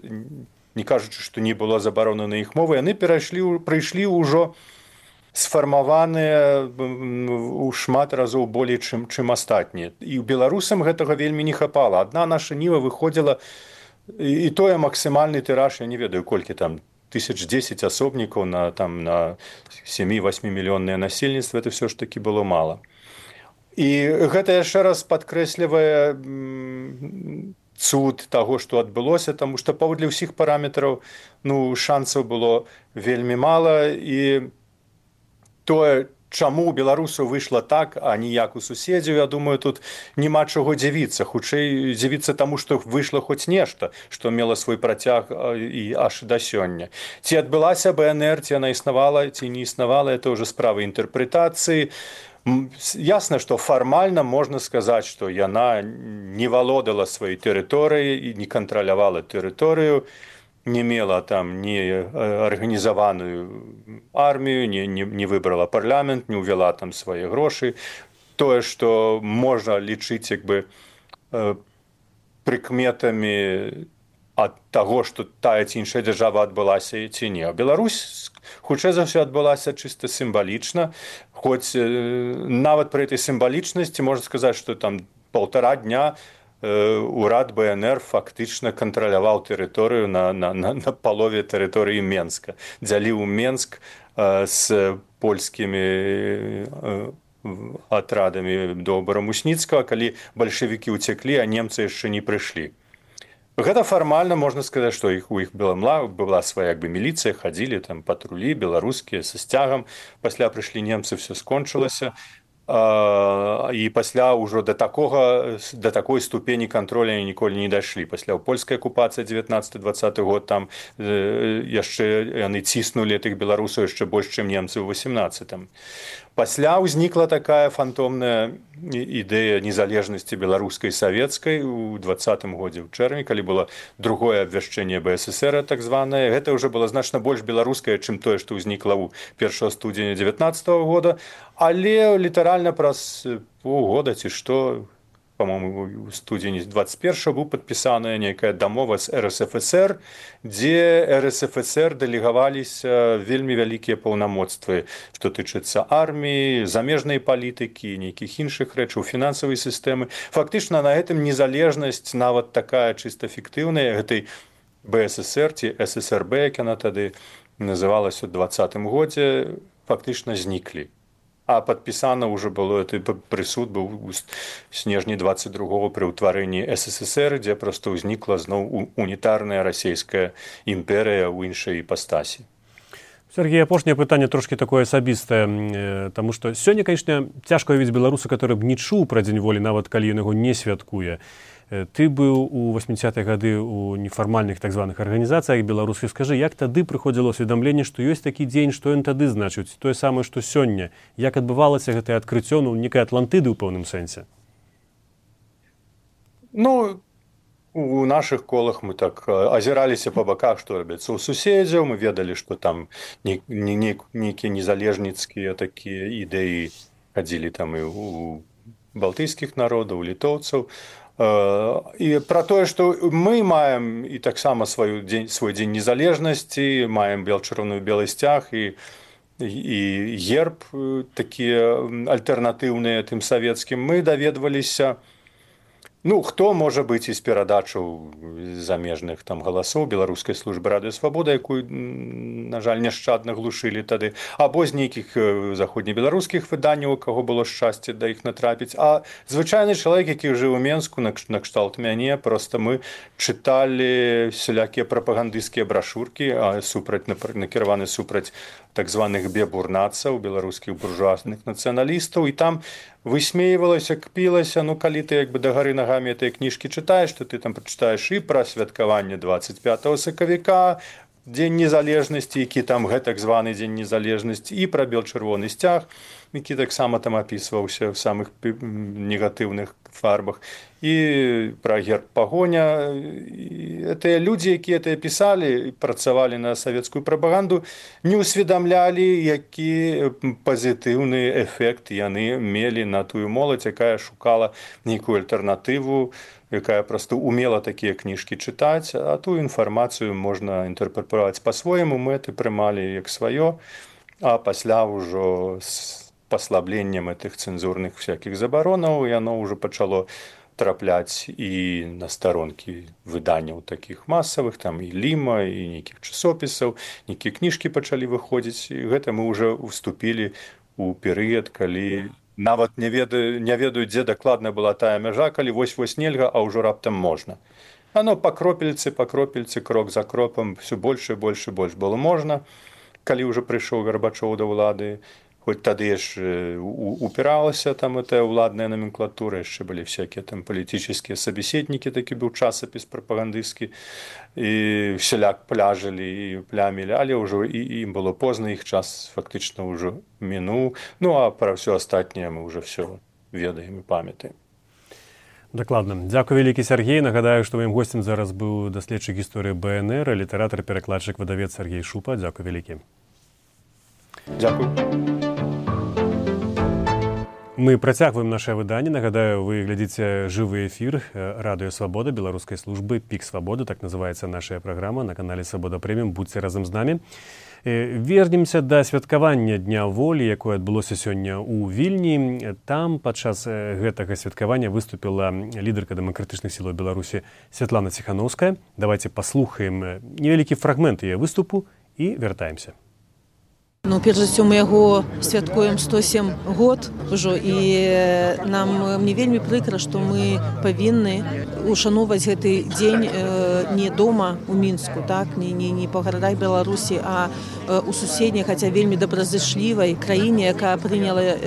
не кажучы, што не было забароны на іх мовы, яны прыйшлі ўжо сфармаваныя ў шмат разоў болей, чым астатнія. І беларусам гэтага вельмі не хапала. Адна наша ніва выходзіла, і тое максімальны тыраж, я не ведаю, колькі там, 1010 асобнікаў на 7-8 мільённае насельніцтва, это все ж таки было мало. І гэта яшчэ раз падкрэслівае цуд таго, што адбылося, таму што паводле ўсіх параметраў шансаў было вельмі мала, і тое, чаму у беларусаў выйшла так, а не як у суседзяў, я думаю, тут няма чаго дзівіцца. Хутчэй дзівіцца таму, што выйшла хоць нешта, што мела свой працяг і аж да сёння. Ці адбылася БНР, ці яна існавала, ці не існавала, это ўжо справа інтэрпрэтацыі. Ясна, што фармальна можна сказаць, што яна не валодала сваёй тэрыторыяй і не кантралявала тэрыторыю, не мела там ні арганізаваную армію, не выбрала парламент, не ўвяла там свае грошы. Тое, што можна лічыць прыкметамі ад таго, што тая ці іншая дзяржава адбылася ці не. Беларусь, хутчэй за ўсё, адбылася чыста сімвалічна, хоць нават пры этой сімвалічнасці можна сказаць, што там 1,5 дня урад БНР фактычна кантраляваў тэрыторыю на палове тэрыторыі Менска. Дзяліў Менск з польскімі атрадамі до Барамусніцкага, калі бальшавікі ўцяклі, а немцы яшчэ не прыйшлі. Гэта фармальна можна сказаць, што у іх была свая міліцыя, хадзілі там патрулі беларускія са сцягам, пасля прыйшлі немцы, все скончылася. І пасля ўжо да такой ступені кантроля ніколі не дайшлі. Пасля польскай акупацыі 19-20 год там яшчэ яны ціснулі тых беларусаў яшчэ больш, чым немцы ў 18-м. Пасля ўзнікла такая фантомная ідэя незалежнасці беларускай і савецкай у 20-м годзе ў чэрвені, калі было другое абвяшчэнне БССР, так званае. Гэта ўжо было значна больш беларускае, чым тое, што ўзнікла ў 1 студзеня 19-го года, але літаральна праз паўгода ці што, по-моему, у студзені 21-го быў падпісаная нейкая дамова з РСФСР, дзе РСФСР дэлегаваліся вельмі вялікія паўнамоцтвы, што тычыцца арміі, замежнай палітыкі, нейкіх іншых рэчаў, фінансавай сістэмы. Фактычна на гэтым незалежнасць, нават такая чыста фіктыўная, гэтай БССР ці ССРБ, як яна тады называлася ў 20-м годзе, фактычна зніклі. А падпісана ўжо было, прысуд быў у снежні 22-го пры ўтварэнні СССР, дзе проста ўзнікла зноў унітарная расійская імперыя ў іншай іпастасі. Сергей, апошняе пытанне трошки такое асабістае, таму што сёння, канешне, цяжка уявіць беларуса, который б не чуў пра дзень волі, нават калі ён яго не святкуе. Ты быў у 80-е гады ў нефармальных так званых арганізацыях беларускіх. Скажы, як тады прыходзіла ўсведамленне, што ёсць такі дзень, што ён тады значыць, тое самае, што сёння? Як адбывалася гэтае адкрыццё, некай Атлантыды ў пэўным сэнсе? У наших колах мы так азіраліся па баках, што робіцца ў суседзяў, мы ведалі, што там нейкія незалежніцкія такія ідэі хадзілі там і у балтыйскіх народаў, у літоўцаў. І пра тое, што мы маем і таксама свой дзень незалежнасці, маем чырвоную белы сцяг і герб такія альтэрнатыўныя тым савецкім, мы даведваліся. Хто можа быць з перадачаў замежных там галасоў беларускай службы радыё Свабода, якую, на жаль, няшчадна глушылі тады, або з нейкіх заходнебеларускіх выданняў, у каго было шчасце да іх натрапіць. А звычайны чалавек, які жыў у Менску, накшталт мяне, проста мы чыталі всялякія прапагандысцкія брашуркі, накіраваны супраць так званых бебурнацаў, беларускіх буржуазных нацыяналістаў, і там высмейвалася, кпілася, калі ты да гары нагамі этой кніжкі чытаеш, то ты там прачытаеш і пра святкаванне 25 сакавіка, Дзень незалежнасці, які там гэтак званы Дзень незалежнасці, і пра бел-чырвоны сцяг, які таксама там апісваўся ў самых негатыўных фарбах, і пра герб пагоня. Тыя людзі, якія гэта пісалі, працавалі на савецкую прапаганду, не ўсведамлялі, які пазітыўны эфект яны мелі на тую моладзь, якая шукала нейкую альтэрнатыву, якая проста умела такія кніжкі чытаць, а ту інфармацыю можна інтэрпрэтаваць па-свойму, мы это прымалі як сваё, а пасля ўжо з паслабленнем гэтых цэнзурных всякіх забаронаў яно ўжо пачало трапляць і на старонкі выданняў такіх масавых, там і Ліма, і нейкіх часопісаў, нейкія кніжкі пачалі выходзіць, і гэта мы ўжо ўступілі ў перыяд, калі нават не ведаю, дзе дакладна была тая мяжа, калі вось-вось нельга, а ўжо раптам можна. Ано па кропельцы, крок за кропам, все больш і больш і больш было можна. Калі ўжо прыйшоў Гарбачоў да ўлады, хоць тады ж упіралася там эта ўладная номенклатура, яшчэ былі всякія там палітычныя сабеседнікі, такі быў часопіс прапагандысцкі, і всяляк пляжылі і плямілі, але ўжо ім было позна, іх час фактычна ўжо мінуў. А пра ўсё астатняе мы ўжо все ведаем і памятаем. Дакладна. Дзякуй вялікі, Сергей. Нагадаю, што маім госцем зараз быў даследчык гісторыі БНР, літаратар, перакладчык, выдавец Сергей Шупа. Дзякуй вялікі. Дзякуй. Мы працягваем наше выданне. Нагадаю, вы глядзіце жывы эфір радыё Свабода беларускай службы «Пік Свабоды», так называецца наша праграма на канале Свабода Прэміум. Будзьце разам з намі. Вернемся да святкавання Дня волі, якое адбылося сёння ў Вільні. Там падчас гэтага святкавання выступіла лідарка дэмакратычных сілаў Беларусі Святлана Ціханаўская. Давайте паслухаем невялікі фрагмент яе выступу і вяртаемся. Перш за ўсё, мы яго святкуем 107 год ужо, і мне вельмі прыкра, што мы павінны ушановаць гэты дзень не дома у Мінску, не па гарадах Беларусі, а у суседняй, хаця вельмі добразычлівай краіне, якая прыняла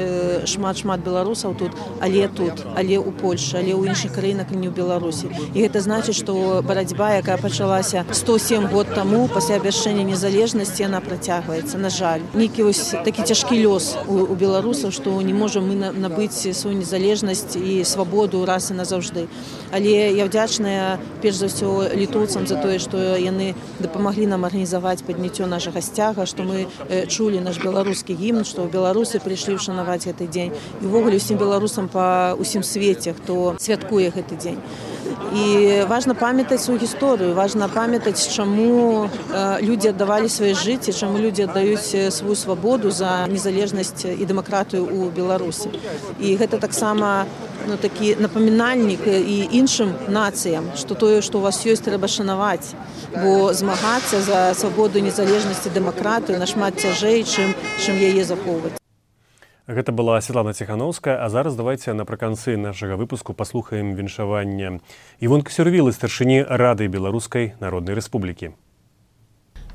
шмат беларусаў тут, але ў Польшы, але ў іншых краінах, не ў Беларусі. І гэта значыць, што барацьба, якая пачалася 107 год таму, пасля абвяшчэння незалежнасці, яна працягваецца, на жаль. Нейкі такі цяжкі лёс у беларусаў, што не можам мы набыць сваю незалежнасць і свабоду раз і назаўжды. Але я вдзячная перш за ўсё літоўцам за тое, што яны дапамаглі нам арганізаваць падняццё нашага сцяга, што мы чулі наш беларускі гімн, што беларусы прыйшлі ўшанаваць гэты дзень. І ўвогуле ўсім беларусам па ўсім свеце, хто святкуе гэты дзень. І важна памятаць сваю гісторыю, важна памятаць, чаму людзі аддавалі свае жыцці, чаму людзі аддаюць сваю свабоду за незалежнасць і дэмакратыю ў Беларусі. І гэта таксама такі напамінальнік і іншым нацыям, што тое, што у вас ёсць, трэба шанаваць, бо змагацца за свабоду, незалежнасць і дэмакратыю нашмат цяжэй, чым яе захоўваць. Гэта была Святлана Ціханаўская, а зараз давайте напрыканцы нашага выпуску паслухаем віншаванне Івонкі Сюрвілы, старшыні Рады Беларускай Народнай Рэспублікі.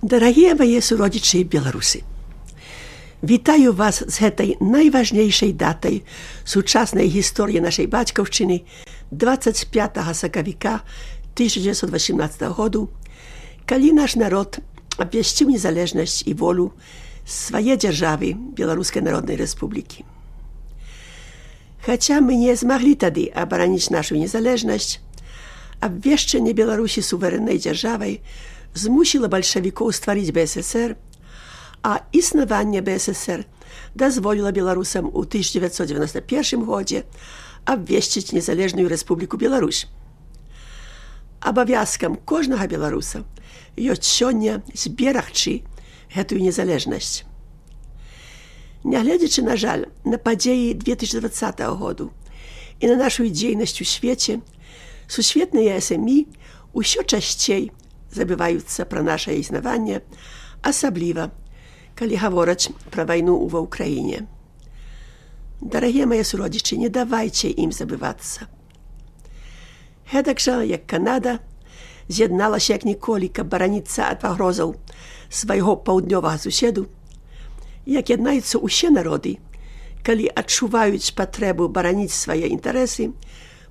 Дарагія мае суродзічы беларусы, вітаю вас з гэтай найважнейшай датай сучаснай гісторыі нашай бацькаўшчыны 25 сакавіка 1918 году, калі наш народ абвясціў незалежнасць і волю свае дзяржавы Беларускай Народнай Рэспублікі. Хаця мы не змаглі тады абараніць нашу незалежнасць, абвешчанне Беларусі суверэннай дзяржавай змусіла бальшавікоў стварыць БССР, а існаванне БССР дазволіла беларусам у 1991 годзе абвесціць незалежную Рэспубліку Беларусь. Абавязкам кожнага беларуса ёсць сёння зберагчы гэтую незалежнасць. Нягледзячы, на жаль, на падзеі 2020 году і на нашу дзейнасць у свеце, сусветныя СМІ ўсё часцей забываюцца пра нашае існаванне, асабліва, калі гавораць пра вайну ва ўкраіне. Дарагія мае суродзічы, не давайце ім забывацца. Гэтак жа, як Канада з'ядналася як ніколі, каб бараніцца ад пагрозаў свайго паўднёвага суседу, як яднаюцца ўсе народы, калі адчуваюць патрэбу бараніць свае інтарэсы,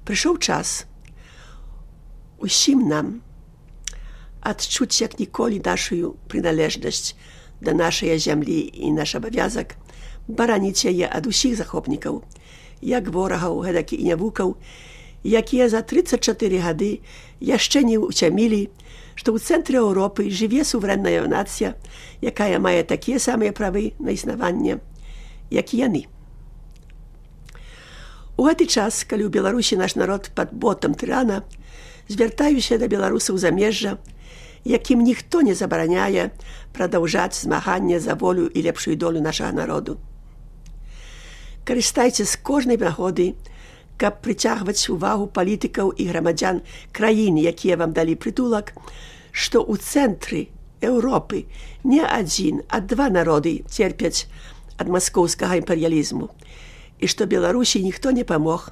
прыйшоў час усім нам адчуць як ніколі нашую прыналежнасць да нашай зямлі і наш абавязак бараніць яе ад усіх захопнікаў, як ворагаў, гэтак і нявукаў, якія за 34 гады яшчэ не ўцямілі, што ў цэнтры Еўропы жыве суверэнная нацыя, якая мае такія самыя правы на існаванне, як і яны. У гэты час, калі ў Беларусі наш народ пад ботам тырана, звяртаюся да беларусаў замежжа, якім ніхто не забараняе прадаўжаць змаганне за волю і лепшую долю нашага народу. Карыстайце з кожнай нагоды, каб прыцягваць увагу палітыкаў і грамадзян краін, якія вам далі прытулак, што ў цэнтры Еўропы не адзін, а два народы церпяць ад маскоўскага імперыялізму, і што Беларусі ніхто не памог,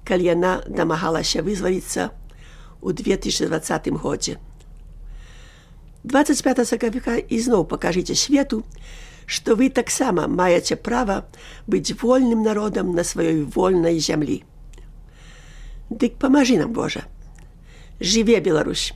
калі яна дамагалася вызваліцца ў 2020 годзе. 25 сакавіка ізноў пакажыце свету, што вы таксама маеце права быць вольным народам на сваёй вольнай зямлі. Дык памажы нам, Божа. Жыве Беларусь!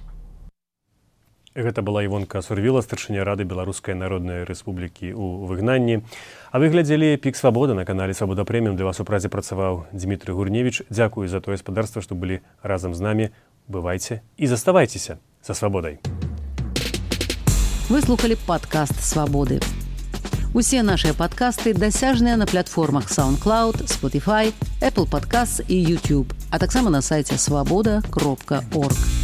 Гэта была Івонка Сурвіла, старшыня Рады Беларускай Народнай Рэспублікі ў выгнанні. А вы глядзелі «Пік Свабода» на канале «Свабода Прэміум». Для вас у празе працаваў Дзмітрый Гурневіч. Дзякую за тое спадарства, што былі разам з намі. Бывайце і заставайцеся са свабодай. Вы слухали падкаст «Свабоды». Усе нашыя падкасты дасяжныя на платформах SoundCloud, Spotify, Apple Podcasts і YouTube, а таксама на сайце swaboda.org.